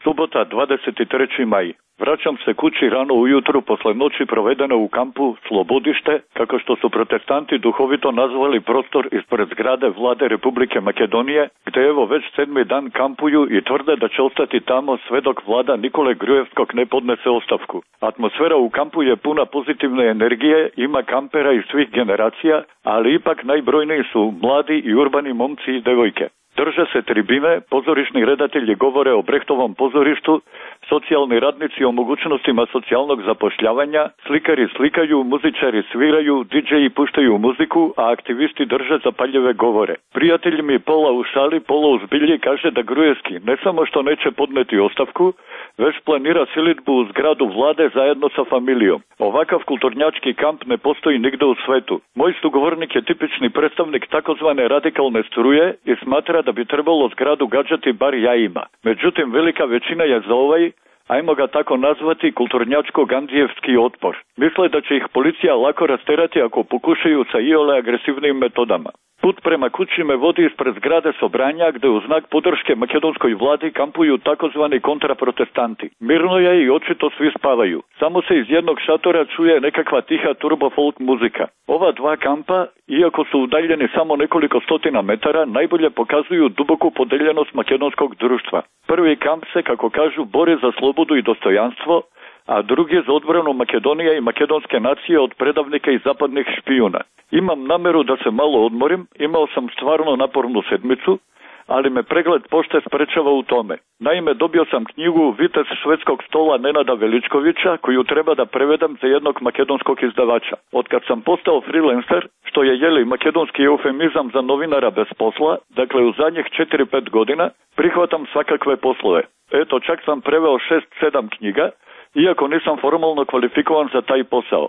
Subota, 23. maj. Vraćam se kući rano ujutru posle noći provedene u kampu Slobodište, kako što su protestanti duhovito nazvali prostor ispred zgrade Vlade Republike Makedonije, gde evo već 7. dan kampuju i tvrde da će ostati tamo sve dok vlada Nikole Grujevskog ne podnese ostavku. Atmosfera u kampu je puna pozitivne energije, ima kampera iz svih generacija, ali ipak najbrojniji su mladi i urbani momci i devojke. Drže se tribine, pozorišni redatelji govore o Brehtovom pozorištu, socijalni radnici o mogućnostima socijalnog zapošljavanja, slikari slikaju, muzičari sviraju, DJ-i puštaju muziku, a aktivisti drže zapaljive govore. Prijatelj mi pola u šali, pola u zbilji kaže da Grujevski ne samo što neće podneti ostavku, već planira silidbu u zgradu vlade zajedno sa familijom. Ovakav kulturnjački kamp ne postoji nigde u svetu. Moj sugovornik je tipični predstavnik takozvane radikalne struje i smatra da bi trebalo zgradu gađati bar jajima. Međutim, velika većina je za ovaj, ajmo ga tako nazvati, kulturnjačko-gandijevski otpor. Misle da će ih policija lako rasterati ako pokušaju sa iole agresivnim metodama. Put prema kući me vodi ispred zgrade Sobranja, gde u znak podrške makedonskoj vladi kampuju takozvani kontraprotestanti. Mirno je i očito svi spavaju. Samo se iz jednog šatora čuje nekakva tiha turbo folk muzika. Ova dva kampa, iako su udaljeni samo nekoliko stotina metara, najbolje pokazuju duboku podeljenost makedonskog društva. Prvi kamp se, kako kažu, bori za slobodu i dostojanstvo, a drugi za odbranu Makedonije i makedonske nacije od predavnika i zapadnih špijuna. Imam nameru da se malo odmorim, imao sam stvarno napornu sedmicu, ali me pregled pošte sprečava u tome. Naime, dobio sam knjigu Vitez švedskog stola Nenada Veličkovića, koju treba da prevedem za jednog makedonskog izdavača. Otkad sam postao freelancer, što je makedonski eufemizam za novinara bez posla, dakle u zadnjih 4-5 godina, prihvatam svakakve poslove. Eto, čak sam preveo 6-7 knjiga, iako nisam formalno kvalifikovan za taj posao.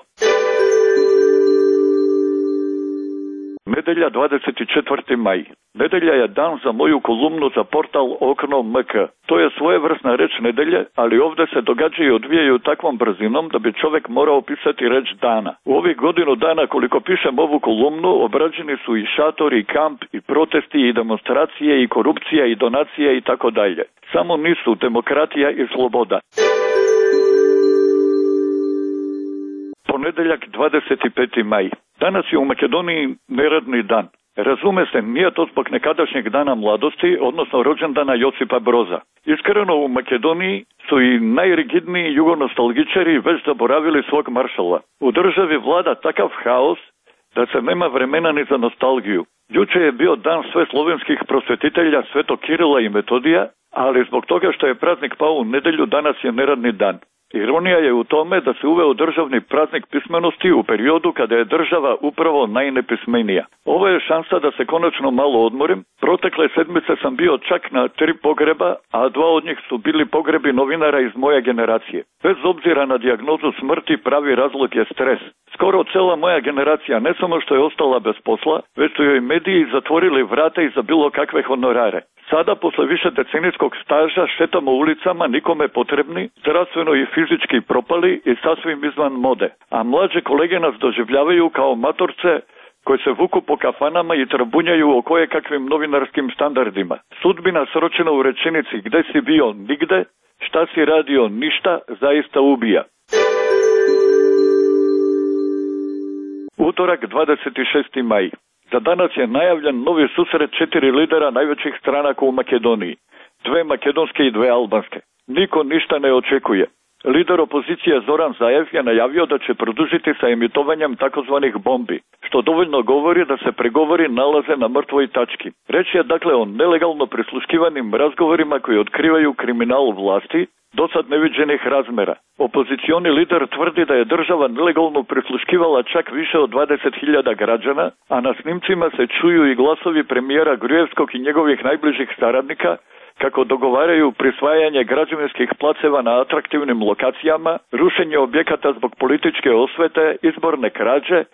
Nedelja, 24. maj. Nedelja je dan za moju kolumnu za portal Okno MK. To je svojevrsna reč nedelje, ali ovdje se događaju i odvijaju takvom brzinom da bi čovjek morao pisati reč dana. U ovih godinu dana koliko pišem ovu kolumnu, obrađeni su i šatori, i kamp, i protesti, i demonstracije, i korupcija, i donacije i tako dalje. Samo nisu demokratija i sloboda. Ponedeljak, 25. maj. Danas je u Makedoniji neradni dan. Razume se, nije to zbog nekadašnjeg dana mladosti, odnosno rođendana Josipa Broza. Iskreno, u Makedoniji su i najrigidniji jugonostalgičari već zaboravili svog maršala. U državi vlada takav haos da se nema vremena ni za nostalgiju. Juče je bio dan sve slovenskih prosvetitelja Svetog Kirila i Metodija, ali zbog toga što je praznik pao u nedelju, danas je neradni dan. Ironija je u tome da se uveo državni praznik pismenosti u periodu kada je država upravo najnepismenija. Ovo je šansa da se konačno malo odmorim. Protekle sedmice sam bio čak na 3 pogreba, a 2 od njih su bili pogrebi novinara iz moje generacije. Bez obzira na dijagnozu smrti, pravi razlog je stres. Skoro cela moja generacija ne samo što je ostala bez posla, već su joj mediji zatvorili vrata i za bilo kakve honorare. Sada, posle više decenijskog staža, šetamo ulicama nikome potrebni, zdravstveno i fizički propali i sasvim izvan mode. A mlađe kolege nas doživljavaju kao matorce koji se vuku po kafanama i trabunjaju o kojekakvim novinarskim standardima. Sudbina sročena u rečenici gde si bio nigde, šta si radio ništa, zaista ubija. Utorak, 26. maj. Za danas je najavljen novi susret 4 lidera najvećih stranaka u Makedoniji. 2 makedonske i 2 albanske. Niko ništa ne očekuje. Lider opozicije Zoran Zaev je najavio da će produžiti sa emitovanjem takozvanih bombi, što dovoljno govori da se pregovori nalaze na mrtvoj tački. Reč je dakle o nelegalno prisluškivanim razgovorima koji otkrivaju kriminal vlasti, dosad neviđenih razmera. Opozicioni lider tvrdi da je država nelegalno prisluškivala čak više od 20.000 građana, a na snimcima se čuju i glasovi premijera Grujevskog i njegovih najbližih saradnika kako dogovaraju prisvajanje građevinskih placeva na atraktivnim lokacijama, rušenje objekata zbog političke osvete, izborne krađe,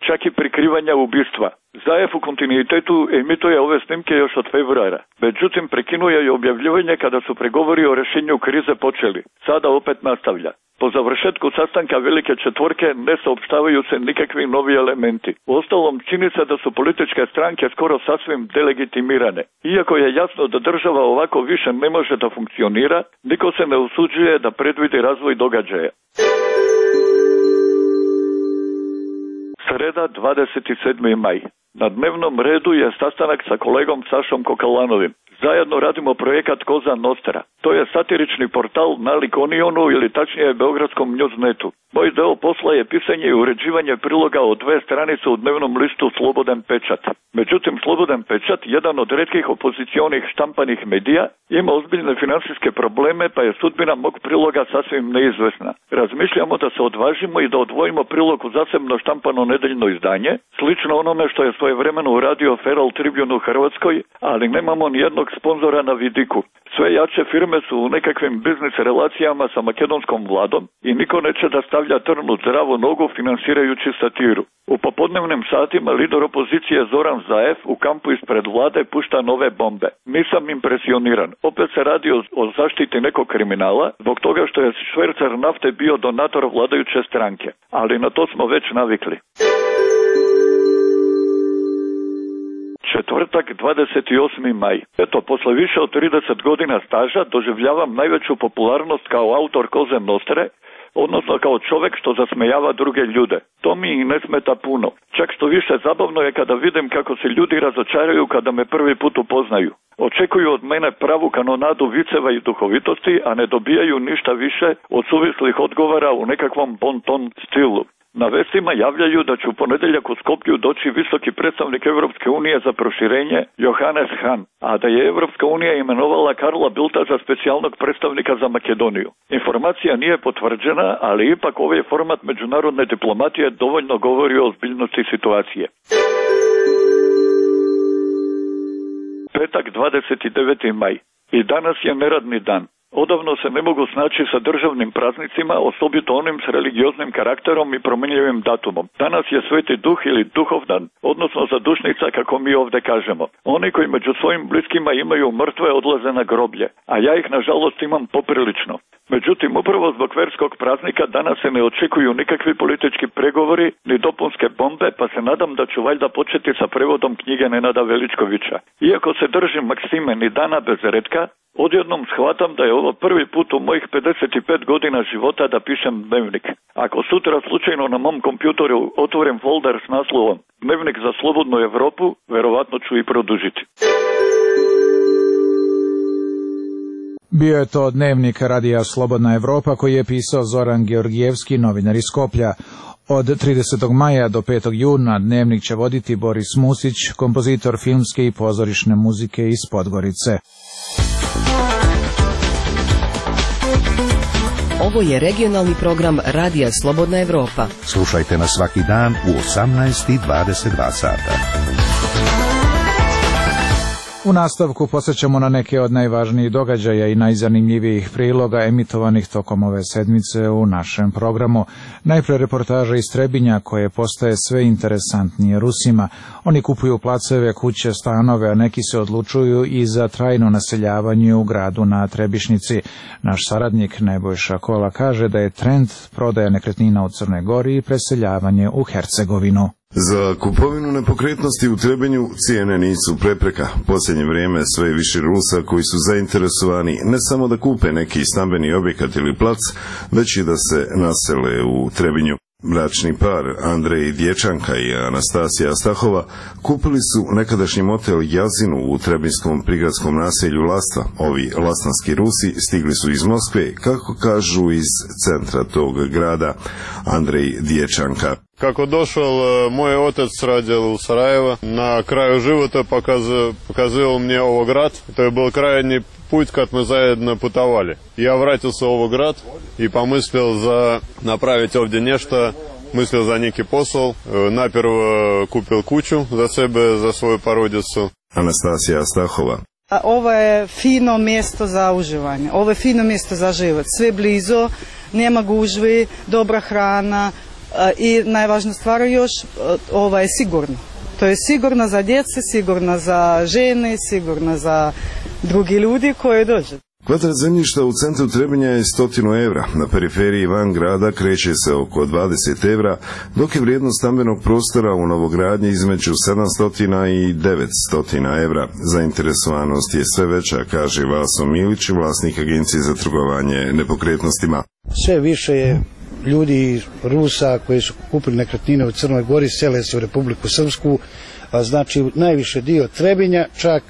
čak i prikrivanja ubistva. Zaev u kontinuitetu emituje ove snimke još od februara. Međutim, prekinuje i objavljivanje kada su pregovori o rešenju krize počeli. Sada opet nastavlja. Po završetku sastanka Velike četvorke ne saopštavaju se nikakvi novi elementi. Uostalom, čini se da su političke stranke skoro sasvim delegitimirane. Iako je jasno da država ovako više ne može da funkcionira, niko se ne usuđuje da predvidi razvoj događaja. Sreda, 27. maj. Na dnevnom redu je sastanak sa kolegom Sašom Kokalanovim. Zajedno radimo projekat Koza Nostra. To je satirični portal na Likonionu ili tačnije Beogradskom Newsnetu. Moj deo posla je pisanje i uređivanje priloga od 2 stranice u dnevnom listu Slobodan pečat. Međutim, Slobodan pečat, jedan od retkih opozicionih štampanih medija, ima ozbiljne finansijske probleme, pa je sudbina mog priloga sasvim neizvesna. Razmišljamo da se odvažimo i da odvojimo prilog u zasebno štampano nedeljno izdanje, slično onome što je svojevremeno uradio Feral Tribune u Hrvatskoj, ali nemamo ni jednog sponzora na vidiku. Sve jače firme su u nekakvim biznis relacijama sa makedonskom vladom i niko neće da stavlja trn u zdravu nogu finansirajući satiru. U popodnevnim satima lider opozicije Zoran Zaev u kampu ispred vlade pušta nove bombe. Nisam impresioniran. Opet se radi o zaštiti nekog kriminala zbog toga što je švercer nafte bio donator vladajuće stranke. Ali na to smo već navikli. Četvrtak, 28. maj. Eto, posle više od 30 godina staža doživljavam najveću popularnost kao autor Koze Nostre, odnosno kao čovek što zasmejava druge ljude. To mi i ne smeta puno. Čak što više zabavno je kada vidim kako se ljudi razočaraju kada me prvi put upoznaju. Očekuju od mene pravu kanonadu viceva i duhovitosti, a ne dobijaju ništa više od suvislih odgovora u nekakvom bon-ton stilu. Na vestima javljaju da će u ponedeljak u Skoplju doći visoki predstavnik Evropske unije za proširenje Johannes Hahn, a da je Evropska unija imenovala Karla Bildta za specijalnog predstavnika za Makedoniju. Informacija nije potvrđena, ali ipak ovaj format međunarodne diplomatije dovoljno govori o ozbiljnosti situacije. Petak, 29. maj. I danas je neradni dan. Odavno se ne mogu snaći sa državnim praznicima, osobito onim s religioznim karakterom i promenljivim datumom. Danas je Sveti Duh ili Duhovdan, odnosno zadušnica kako mi ovde kažemo. Oni koji među svojim bliskima imaju mrtve odlaze na groblje, a ja ih nažalost imam poprilično. Međutim, upravo zbog verskog praznika danas se ne očekuju nikakvi politički pregovori ni dopunske bombe, pa se nadam da ću valjda početi sa prevodom knjige Nenada Veličkovića. Iako se držim maksime ni dana bez retka, odjednom shvatam da je ovo prvi put u mojih 55 godina života da pišem dnevnik. Ako sutra slučajno na mom kompjutoru otvorim folder s naslovom Dnevnik za slobodnu Evropu, verovatno ću i produžiti. Bio je to dnevnik Radija Slobodna Evropa koji je pisao Zoran Georgijevski, novinar iz Skoplja. Od 30. maja do 5. juna dnevnik će voditi Boris Musić, kompozitor filmske i pozorišne muzike iz Podgorice. Ovo je regionalni program Radija Slobodna Evropa. Slušajte nas svaki dan u 18:22 sata. U nastavku posjećamo na neke od najvažnijih događaja i najzanimljivijih priloga emitovanih tokom ove sedmice u našem programu. Najpre reportaža iz Trebinja koje postaje sve interesantnije Rusima. Oni kupuju placeve, kuće, stanove, a neki se odlučuju i za trajno naseljavanje u gradu na Trebišnici. Naš saradnik Nebojša Kola kaže da je trend prodaja nekretnina u Crnoj Gori i preseljavanje u Hercegovinu. Za kupovinu nepokretnosti u Trebinju cijene nisu prepreka. Posljednje vrijeme sve više Rusa koji su zainteresovani ne samo da kupe neki stambeni objekat ili plac, već i da se nasele u Trebinju. Bračni par Andrej Dječanka i Anastasija Stahova kupili su nekadašnji motel Jazinu u trebinskom prigradskom naselju Lasta. Ovi lastanski Rusi stigli su iz Moskve, kako kažu iz centra tog grada. Andrej Dječanka. Kako došao moj otac radil u Sarajevo, na kraju života pokazao мне ovo grad. To je bio krajnji put kad smo zajedno putovali. Ja vratio se u ovo grad i pomislio za napraviti ovdje nešto, mislio za neki posao. Najprvo kupil kuću za sebe, za svoju porodicu. Anastasija Stahova. Ovo je fino mjesto za uživanje, ovo je fino mjesto za život. Sve blizu, nema gužvi, dobra hrana. I najvažnija stvar još, ovo je sigurno. To je sigurno za djece, sigurno za žene, sigurno za drugi ljudi koji dođu. Kvadrat zemljišta u centru Trebinja je 100 evra, na periferiji van grada kreće se oko 20 evra, dok je vrijednost stambenog prostora u novogradnji između 700 i 900 evra. Zainteresovanost je sve veća, kaže Vaso Milić, vlasnik agencije za trgovanje nepokretnostima. Sve više je ljudi Rusa koji su kupili nekretnine u Crnoj Gori, sele se u Republiku Srpsku, znači najviše dio Trebinja, čak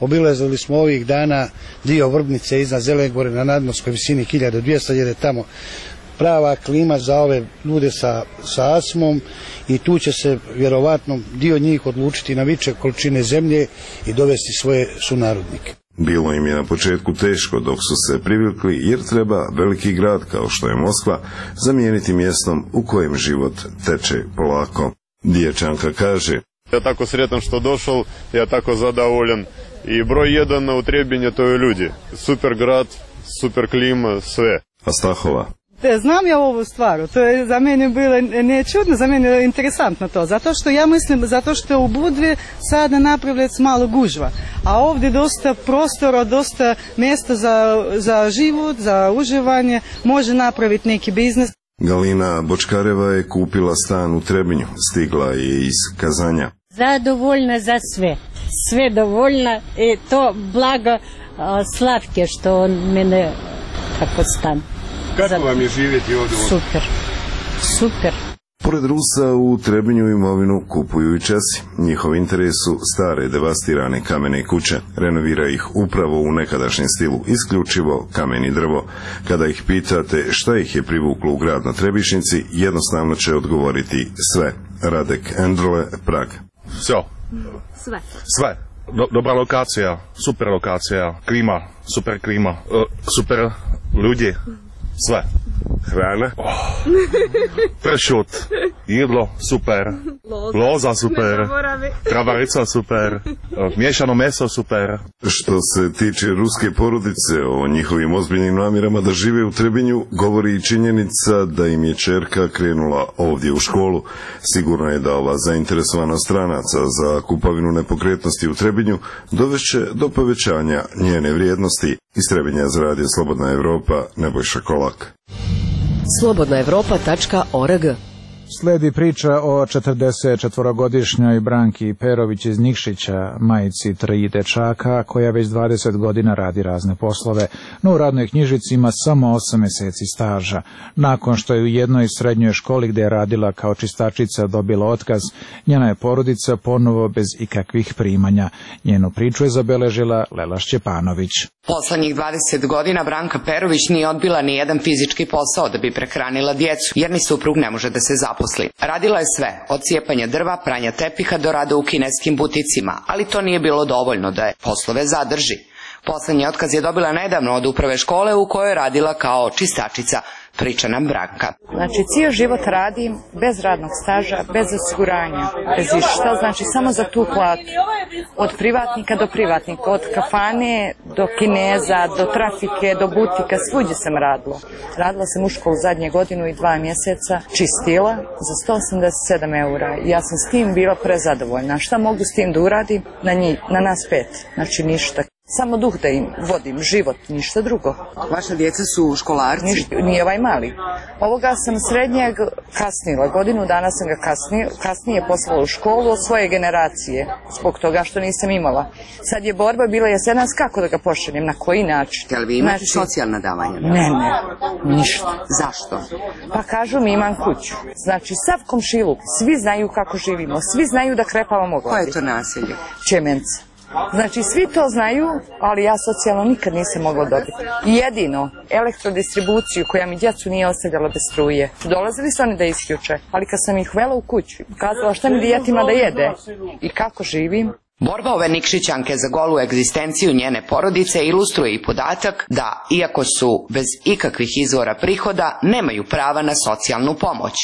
obilazili smo ovih dana dio Vrbnice iznad Zelene Gore na nadmorskoj visini 1200, jer je tamo prava klima za ove ljude sa astmom i tu će se vjerovatno dio njih odlučiti na veće količine zemlje i dovesti svoje sunarodnike. Bilo im je na početku teško dok su se privikli jer treba veliki grad kao što je Moskva zamijeniti mjestom u kojem život teče polako. Dječanka kaže: Ja tako sretan što došao, ja tako zadovoljan i broj jedan u Trebinju to je ljudi. Super grad, super klima, sve. A Stahova? Znam ja ovu stvar, to je za mene bilo ne čudno, za mene je interesantno to, zato što ja mislim, zato što u Budvi sada napravljaju malo gužva, a ovdje dosta prostora, dosta mjesta za život, za uživanje, može napraviti neki biznis. Galina Bočkareva je kupila stan u Trebinju, stigla je iz Kazanja. Zadovoljna za sve, sve dovoljna i to blago Slavke što on mene tako stan. Kako vam je živjeti ovdje? Super, super. Pored Rusa u Trebinju imovinu kupuju i Česi. Njihov interes su stare devastirane kamene kuće. Renovira ih upravo u nekadašnjem stilu, isključivo kamen i drvo. Kada ih pitate šta ih je privuklo u grad na Trebišnici, jednostavno će odgovoriti sve. Radek Endrle, Prag. Sve. Sve. Dobra lokacija, super lokacija, klima, super klima, super ljudi. Sve. Hrana. Pršut. Jedlo super. Loza super. Travarica super. Miješano meso super. Što se tiče ruske porodice, o njihovim ozbiljnim namjerama da žive u Trebinju, govori i činjenica da im je ćerka krenula ovdje u školu. Sigurno je da ova zainteresovanost stranaca za kupovinu nepokretnosti u Trebinju dovešće do povećanja njene vrijednosti. Iz Trebinja za Radio Slobodna Evropa, Nebojša Kolak. slobodnaevropa.org. Sledi priča o 44-godišnjoj Branki Perović iz Nikšića, majici 3 dečaka, koja već 20 godina radi razne poslove, no u radnoj knjižici ima samo 8 mjeseci staža. Nakon što je u jednoj srednjoj školi gdje je radila kao čistačica dobila otkaz, njena je porodica ponovo bez ikakvih primanja. Njenu priču je zabeležila Lela Šćepanović. Poslednjih 20 godina Branka Perović nije odbila ni jedan fizički posao da bi prehranila djecu, jer ni suprug ne može da se zaposli. Radila je sve, od cijepanja drva, pranja tepiha do rada u kineskim buticima, ali to nije bilo dovoljno da je poslove zadrži. Poslednji otkaz je dobila nedavno od uprave škole u kojoj je radila kao čistačica. priča nam Branka. Znači, cijel život radim bez radnog staža, bez osiguranja, bez išta, znači samo za tu platu. Od privatnika do privatnika, od kafane do kineza, do trafike, do butika, svuđe sam radila. Radila sam u školu zadnje godinu i 2 mjeseca, čistila za 187 eura. Ja sam s tim bila prezadovoljna. Šta mogu s tim da uradim? Na nas 5, znači ništa. Samo duh da im vodim, život, ništa drugo. Vaša djeca su školarci? Nije ovaj mali. Ovoga sam srednjeg kasnila, godinu dana sam ga kasnije poslala u školu od svoje generacije, zbog toga što nisam imala. Sad je borba bila jesenas kako da ga pošaljem, na koji način. Jel vi imate socijalna davanja? Ne, ništa. Zašto? Pa kažu mi imam kuću. Znači sav komšiluk, svi znaju kako živimo, svi znaju da krepavamo glavi. Koje je to naselje? Čemenca. Znači, svi to znaju, ali ja socijalno nikad nisam mogla dobiti. Jedino, elektrodistribuciju koja mi djecu nije ostavljala bez struje. Dolazili su oni da isključe, ali kad sam ih uvela u kuću, kazala šta mi djetima da jede i kako živim. Borba ove Nikšićanke za golu egzistenciju njene porodice ilustruje i podatak da, iako su bez ikakvih izvora prihoda, nemaju prava na socijalnu pomoć,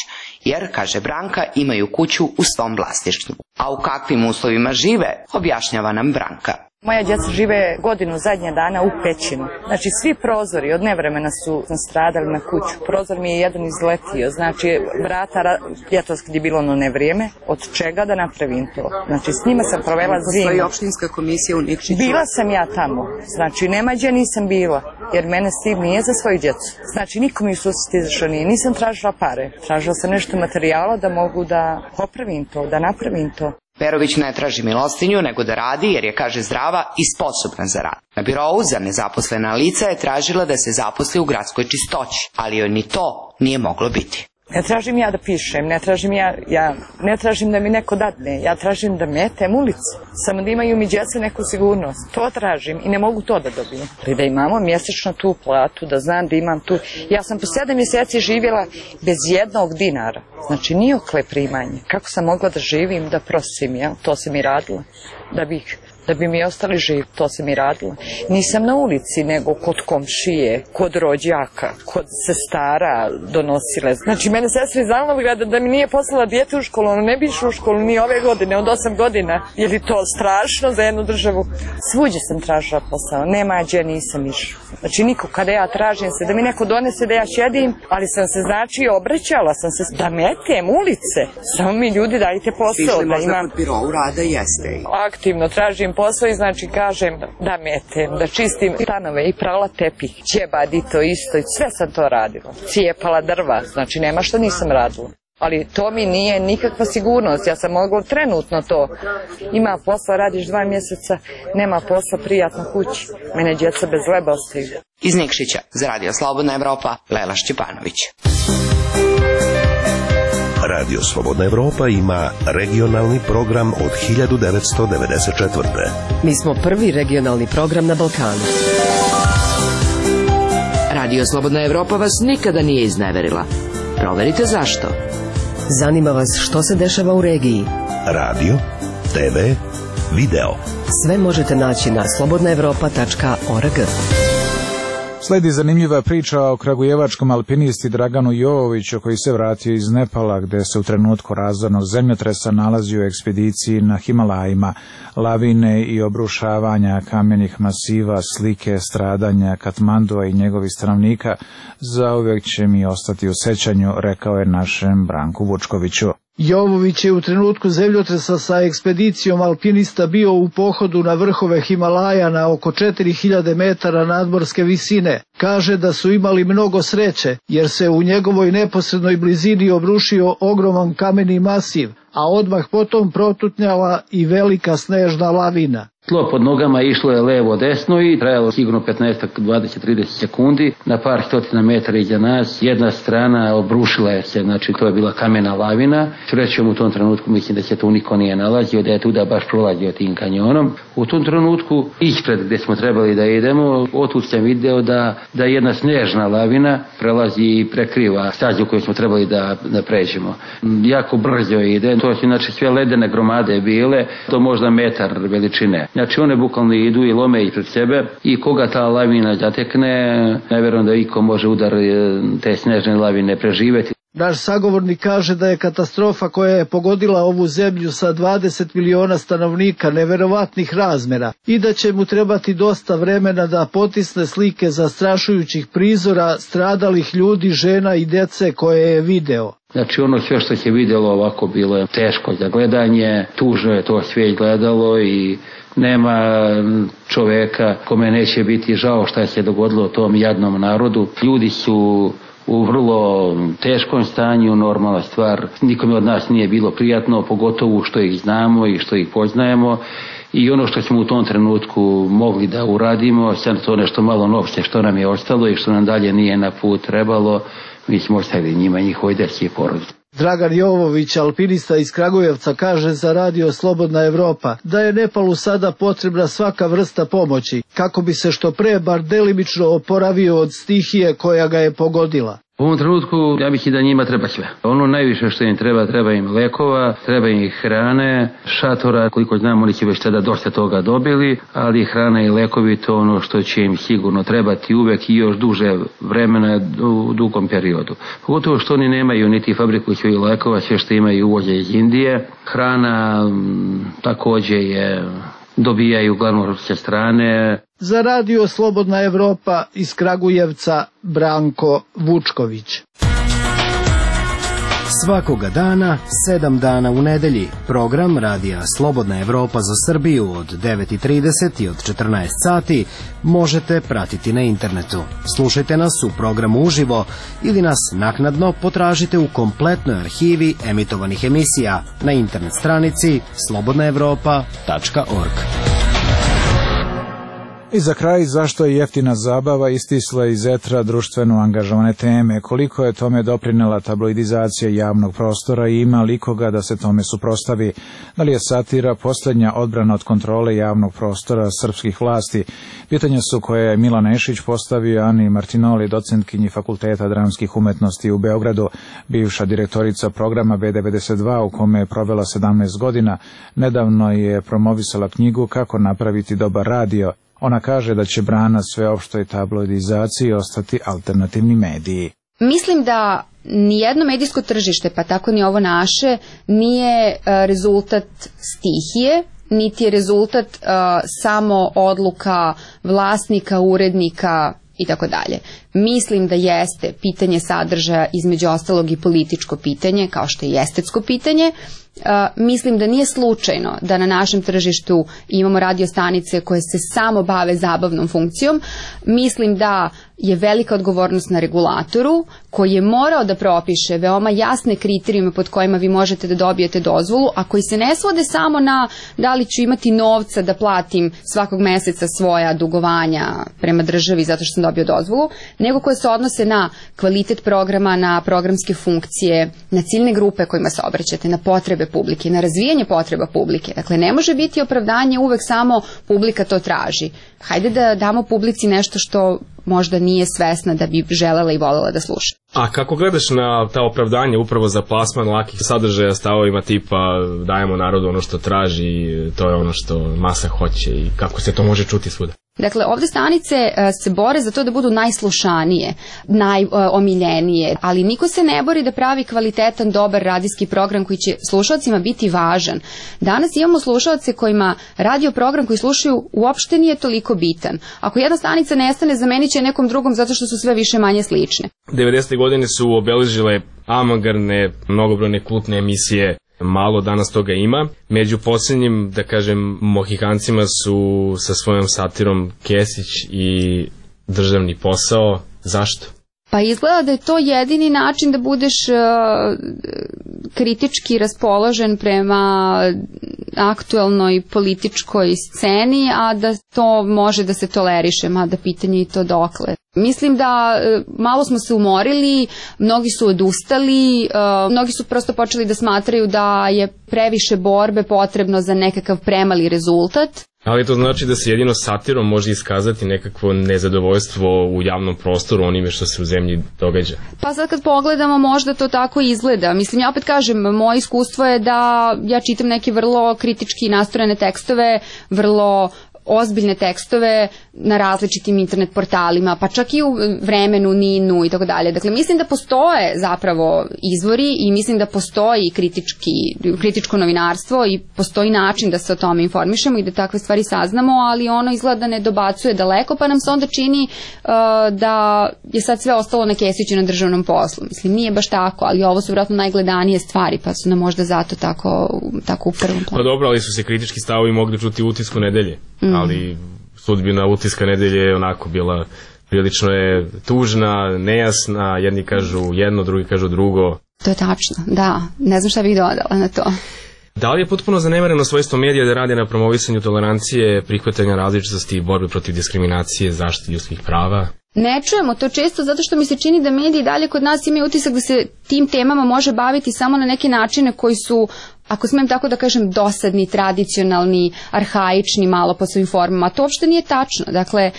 jer, kaže Branka, imaju kuću u svom vlasništvu. A u kakvim uslovima žive, objašnjava nam Branka. Moja djeca žive godinu zadnje dana u pećinu. Znači svi prozori od nevremena su stradali na kuću. Prozor mi je jedan izletio, znači vrata ljetos kad je bilo ono nevrijeme, od čega da napravim to. Znači s njima sam provela zimu. Postoji opštinska komisija u Nikšiću? Bila sam ja tamo, znači nema gdje nisam bila, jer mene Steve nije za svoju djecu. Znači niko mi u susret izašao nije, nisam tražila pare, tražila sam nešto materijala da mogu da popravim to, da napravim to. Perović ne traži milostinju, nego da radi jer je, kaže, zdrava i sposobna za rad. Na birovu za nezaposlena lica je tražila da se zaposli u gradskoj čistoći, ali joj ni to nije moglo biti. Ne tražim ja da pišem, ne tražim da mi neko dadne, ja tražim da metem ulicu, samo da imaju mi djeca neku sigurnost. To tražim i ne mogu to da dobijem. Da imamo mjesečno tu platu, da znam da imam tu. Ja sam po 7 mjeseci živjela bez 1 dinara, znači nijokle primanje. Kako sam mogla da živim, da prosim, jel? To sam i radila, da bi mi ostali živi, to sam i radila. Nisam na ulici, nego kod komšije, kod rođaka, kod sestara donosile. Znači, mene sestra iz Alnovgrada da mi nije poslala dijete u školu, ono ne bi išlo u školu ni ove godine, od 8 godina. Je li to strašno za jednu državu? Svuđe sam tražila posao, nema gdje nisam išla. Znači, niko kada ja tražim se, da mi neko donese da ja šedim, ali sam se, znači, obraćala sam se da metem ulice. Samo mi ljudi dajte posao. Išli možda kod birovu rada, jeste. Aktivno tražim posao i znači kažem da metem, da čistim stanove i prala tepih, ćebad i to isto, i sve sam to radila. Cijepala drva, znači nema što nisam radila. Ali to mi nije nikakva sigurnost, ja sam mogla trenutno to. Ima posla, radiš 2 mjeseca, nema posla, prijatno kući. Mene djeca bez leba ostaju. Iz Nikšića, za Radio Slobodna Evropa, Lela Šćepanović. Radio Slobodna Evropa ima regionalni program od 1994. Mi smo prvi regionalni program na Balkanu. Radio Slobodna Evropa vas nikada nije izneverila. Proverite zašto. Zanima vas što se dešava u regiji. Radio, TV, video. Sve možete naći na slobodnaevropa.org. Sledi zanimljiva priča o kragujevačkom alpinisti Draganu Jovoviću koji se vratio iz Nepala gde se u trenutku razornog zemljotresa nalazi u ekspediciji na Himalajima. Lavine i obrušavanja kamenih masiva, slike stradanja Katmandua i njegovih stanovnika zauvijek će mi ostati u sećanju, rekao je našem Branku Vučkoviću. Jovović je u trenutku zemljotresa sa ekspedicijom alpinista bio u pohodu na vrhove Himalaja na oko 4000 metara nadmorske visine. Kaže da su imali mnogo sreće jer se u njegovoj neposrednoj blizini obrušio ogroman kameni masiv, a odmah potom protutnjala i velika snežna lavina. Tlo pod nogama išlo je levo desno i trajalo sigurno 15-20-30 sekundi. Na par stotina metara iza nas jedna strana obrušila je se, znači to je bila kamena lavina. Srećom u tom trenutku mislim da se tu niko nije nalazio, da je tuda baš prolazio tim kanjonom. U tom trenutku ispred gdje smo trebali da idemo, otud sam video da jedna snežna lavina prelazi i prekriva stazu koju smo trebali da pređemo. Jako brzo ide, to su znači sve ledene gromade bile, to možda metar veličine. Znači one bukvalno idu i lome ispred sebe i koga ta lavina zatekne, ne vjerujem da iko može udar te snežne lavine preživjeti. Naš sagovornik kaže da je katastrofa koja je pogodila ovu zemlju sa 20 miliona stanovnika neverovatnih razmera i da će mu trebati dosta vremena da potisne slike zastrašujućih prizora stradalih ljudi, žena i dece koje je video. Znači ono sve što se vidjelo ovako bilo je teško za gledanje, tužno je to sve gledalo i nema čoveka kome neće biti žao šta se dogodilo tom jadnom narodu. Ljudi su u vrlo teškom stanju, normalna stvar. Nikome od nas nije bilo prijatno, pogotovo što ih znamo i što ih poznajemo. I ono što smo u tom trenutku mogli da uradimo, sad to nešto malo novce što nam je ostalo i što nam dalje nije na put trebalo, mi smo ostavili njima njihovoj deci i porodici. Dragan Jovović, alpinista iz Kragujevca, kaže za radio Slobodna Evropa da je Nepalu sada potrebna svaka vrsta pomoći kako bi se što pre bar delimično oporavio od stihije koja ga je pogodila. U ovom trenutku ja bih i da njima treba sve. Ono najviše što im treba im lekova, treba im hrane, šatora, koliko znam oni će već tada dosta toga dobili, ali hrana i lekovi to ono što će im sigurno trebati uvek i još duže vremena u dugom periodu. Pogotovo što oni nemaju niti fabriku svojih lekova, sve što imaju uvoze iz Indije. Hrana takođe je dobijaju uglavnom sa strane. Za radio Slobodna Evropa iz Kragujevca Branko Vučković. Svakoga dana, 7 dana u nedelji, program radija Slobodna Evropa za Srbiju od 9:30 i od 14 sati možete pratiti na internetu. Slušajte nas u programu uživo ili nas naknadno potražite u kompletnoj arhivi emitovanih emisija na internet stranici slobodnaevropa.org. I za kraj, zašto je jeftina zabava istisla iz etra društveno angažovane teme, koliko je tome doprinela tabloidizacija javnog prostora i ima li koga da se tome suprostavi, da li je satira posljednja odbrana od kontrole javnog prostora srpskih vlasti. Pitanja su koje je Milan Nešić postavio Ani Martinoli, docentkinji Fakulteta dramskih umetnosti u Beogradu, bivša direktorica programa B92 u kome je provela 17 godina, nedavno je promovisala knjigu Kako napraviti dobar radio. Ona kaže da će brana sveopštoj tabloidizaciji ostati alternativni mediji. Mislim da nijedno medijsko tržište, pa tako ni ovo naše, nije rezultat stihije, niti je rezultat samo odluka vlasnika, urednika i tako dalje. Mislim da jeste pitanje sadržaja, između ostalog i političko pitanje, kao što je i estetsko pitanje. Mislim da nije slučajno da na našem tržištu imamo radio stanice koje se samo bave zabavnom funkcijom. Mislim da je velika odgovornost na regulatoru koji je morao da propiše veoma jasne kriterijume pod kojima vi možete da dobijete dozvolu, a koji se ne svode samo na da li ću imati novca da platim svakog meseca svoja dugovanja prema državi zato što sam dobio dozvolu, nego koje se odnose na kvalitet programa, na programske funkcije, na ciljne grupe kojima se obraćate, na potrebe publike, na razvijanje potreba publike. Dakle, ne može biti opravdanje uvek samo publika to traži. Hajde da damo publici nešto što možda nije svesna da bi želela i volela da sluša. A kako gledaš na ta opravdanje upravo za plasman lakih sadržaja stavovima tipa dajemo narodu ono što traži, to je ono što masa hoće i kako se to može čuti svuda? Dakle, ovde stanice se bore za to da budu najslušanije, najomiljenije, ali niko se ne bori da pravi kvalitetan, dobar radijski program koji će slušalcima biti važan. Danas imamo slušalce kojima radio program koji slušaju uopšte nije toliko bitan. Ako jedna stanica nestane, zamenit će nekom drugom zato što su sve više manje slične. 90. godine su obeležile avangardne, mnogobrojne kultne emisije. Malo danas toga ima. Među posljednjim, da kažem, mohikancima su sa svojom satirom Kesić i Državni posao. Zašto? Pa izgleda da je to jedini način da budeš kritički raspoložen prema aktuelnoj političkoj sceni, a da to može da se toleriše, mada pitanje i to dokle. Mislim da malo smo se umorili, mnogi su odustali, mnogi su prosto počeli da smatraju da je previše borbe potrebno za nekakav premali rezultat. Ali to znači da se jedino satirom može iskazati nekakvo nezadovoljstvo u javnom prostoru onime što se u zemlji događa. Pa sad kad pogledamo možda to tako izgleda. Mislim, ja opet kažem, moje iskustvo je da ja čitam neke vrlo kritički nastrojene tekstove, vrlo ozbiljne tekstove na različitim internet portalima, pa čak i u Vremenu, Ninu i tako dalje. Dakle, mislim da postoje zapravo izvori i mislim da postoji kritičko novinarstvo i postoji način da se o tome informišemo i da takve stvari saznamo, ali ono izgleda da ne dobacuje daleko, pa nam se onda čini da je sad sve ostalo na kesiću na državnom poslu. Mislim, nije baš tako, ali ovo su vjerojatno najgledanije stvari, pa su nam možda zato tako u prvom planu. Pa dobro, ali su se kritički stavovi mogli čuti u Utisku nedelje. Ali sudbina Utiska nedelje je onako bila, prilično je tužna, nejasna, jedni kažu jedno, drugi kažu drugo. To je tačno, da, ne znam šta bih dodala na to. Da li je potpuno zanemareno svojstvo medija da radi na promovisanju tolerancije, prihvatanja različitosti i borbe protiv diskriminacije, zaštiti ljudskih prava? Ne čujemo to često zato što mi se čini da mediji dalje kod nas imaju utisak da se tim temama može baviti samo na neke načine koji su, ako smijem tako da kažem, dosadni, tradicionalni, arhaični malo po svojim formama. To uopšte nije tačno. Dakle,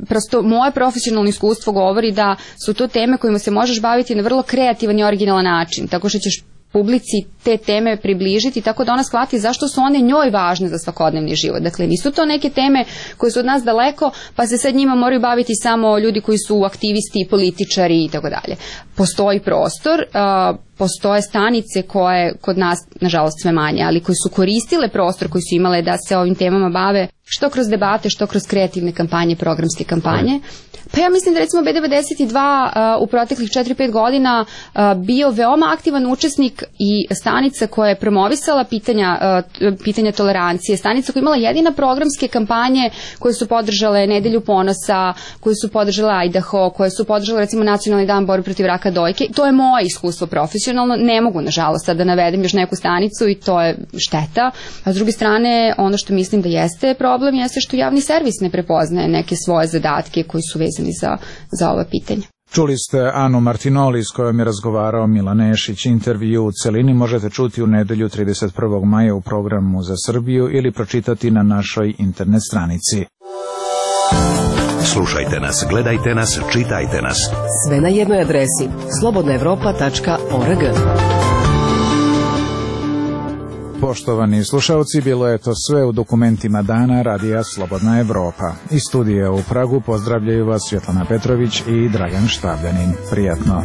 prosto moje profesionalno iskustvo govori da su to teme kojima se možeš baviti na vrlo kreativan i originalan način, tako što ćeš publici te teme približiti tako da ona shvati zašto su one njoj važne za svakodnevni život. Dakle, nisu to neke teme koje su od nas daleko, pa se sad njima moraju baviti samo ljudi koji su aktivisti, političari i tako dalje. Postoji prostor, postoje stanice koje kod nas, nažalost sve manje, ali koji su koristile prostor koji su imale da se ovim temama bave, što kroz debate, što kroz kreativne kampanje, programske kampanje. Pa ja mislim da recimo B92 u proteklih 4-5 godina bio veoma aktivan učesnik i stanica koja je promovisala pitanja tolerancije, stanica koja je imala jedina programske kampanje koje su podržale Nedelju ponosa, koje su podržale Idaho, koje su podržale recimo Nacionalni dan borbe protiv raka dojke. To je moje iskustvo profesionalno, ne mogu nažalost sad da navedem još neku stanicu i to je šteta. A s druge strane, ono što mislim da jeste problem jeste što javni servis ne prepoznaje neke svoje zadatke koji su vezani za ova pitanja. Čuli ste Anu Martinoli s kojom je razgovarao Milan Nešić. Intervju u celini možete čuti u nedelju 31. maja u programu za Srbiju ili pročitati na našoj internet stranici. Slušajte nas, gledajte nas, čitajte nas. Sve na jednoj adresi slobodnaevropa.org. Poštovani slušalci, bilo je to sve u dokumentima dana Radija Slobodna Evropa. Iz studija u Pragu pozdravljaju vas Svjetlana Petrović i Dragan Štavljanin. Prijatno.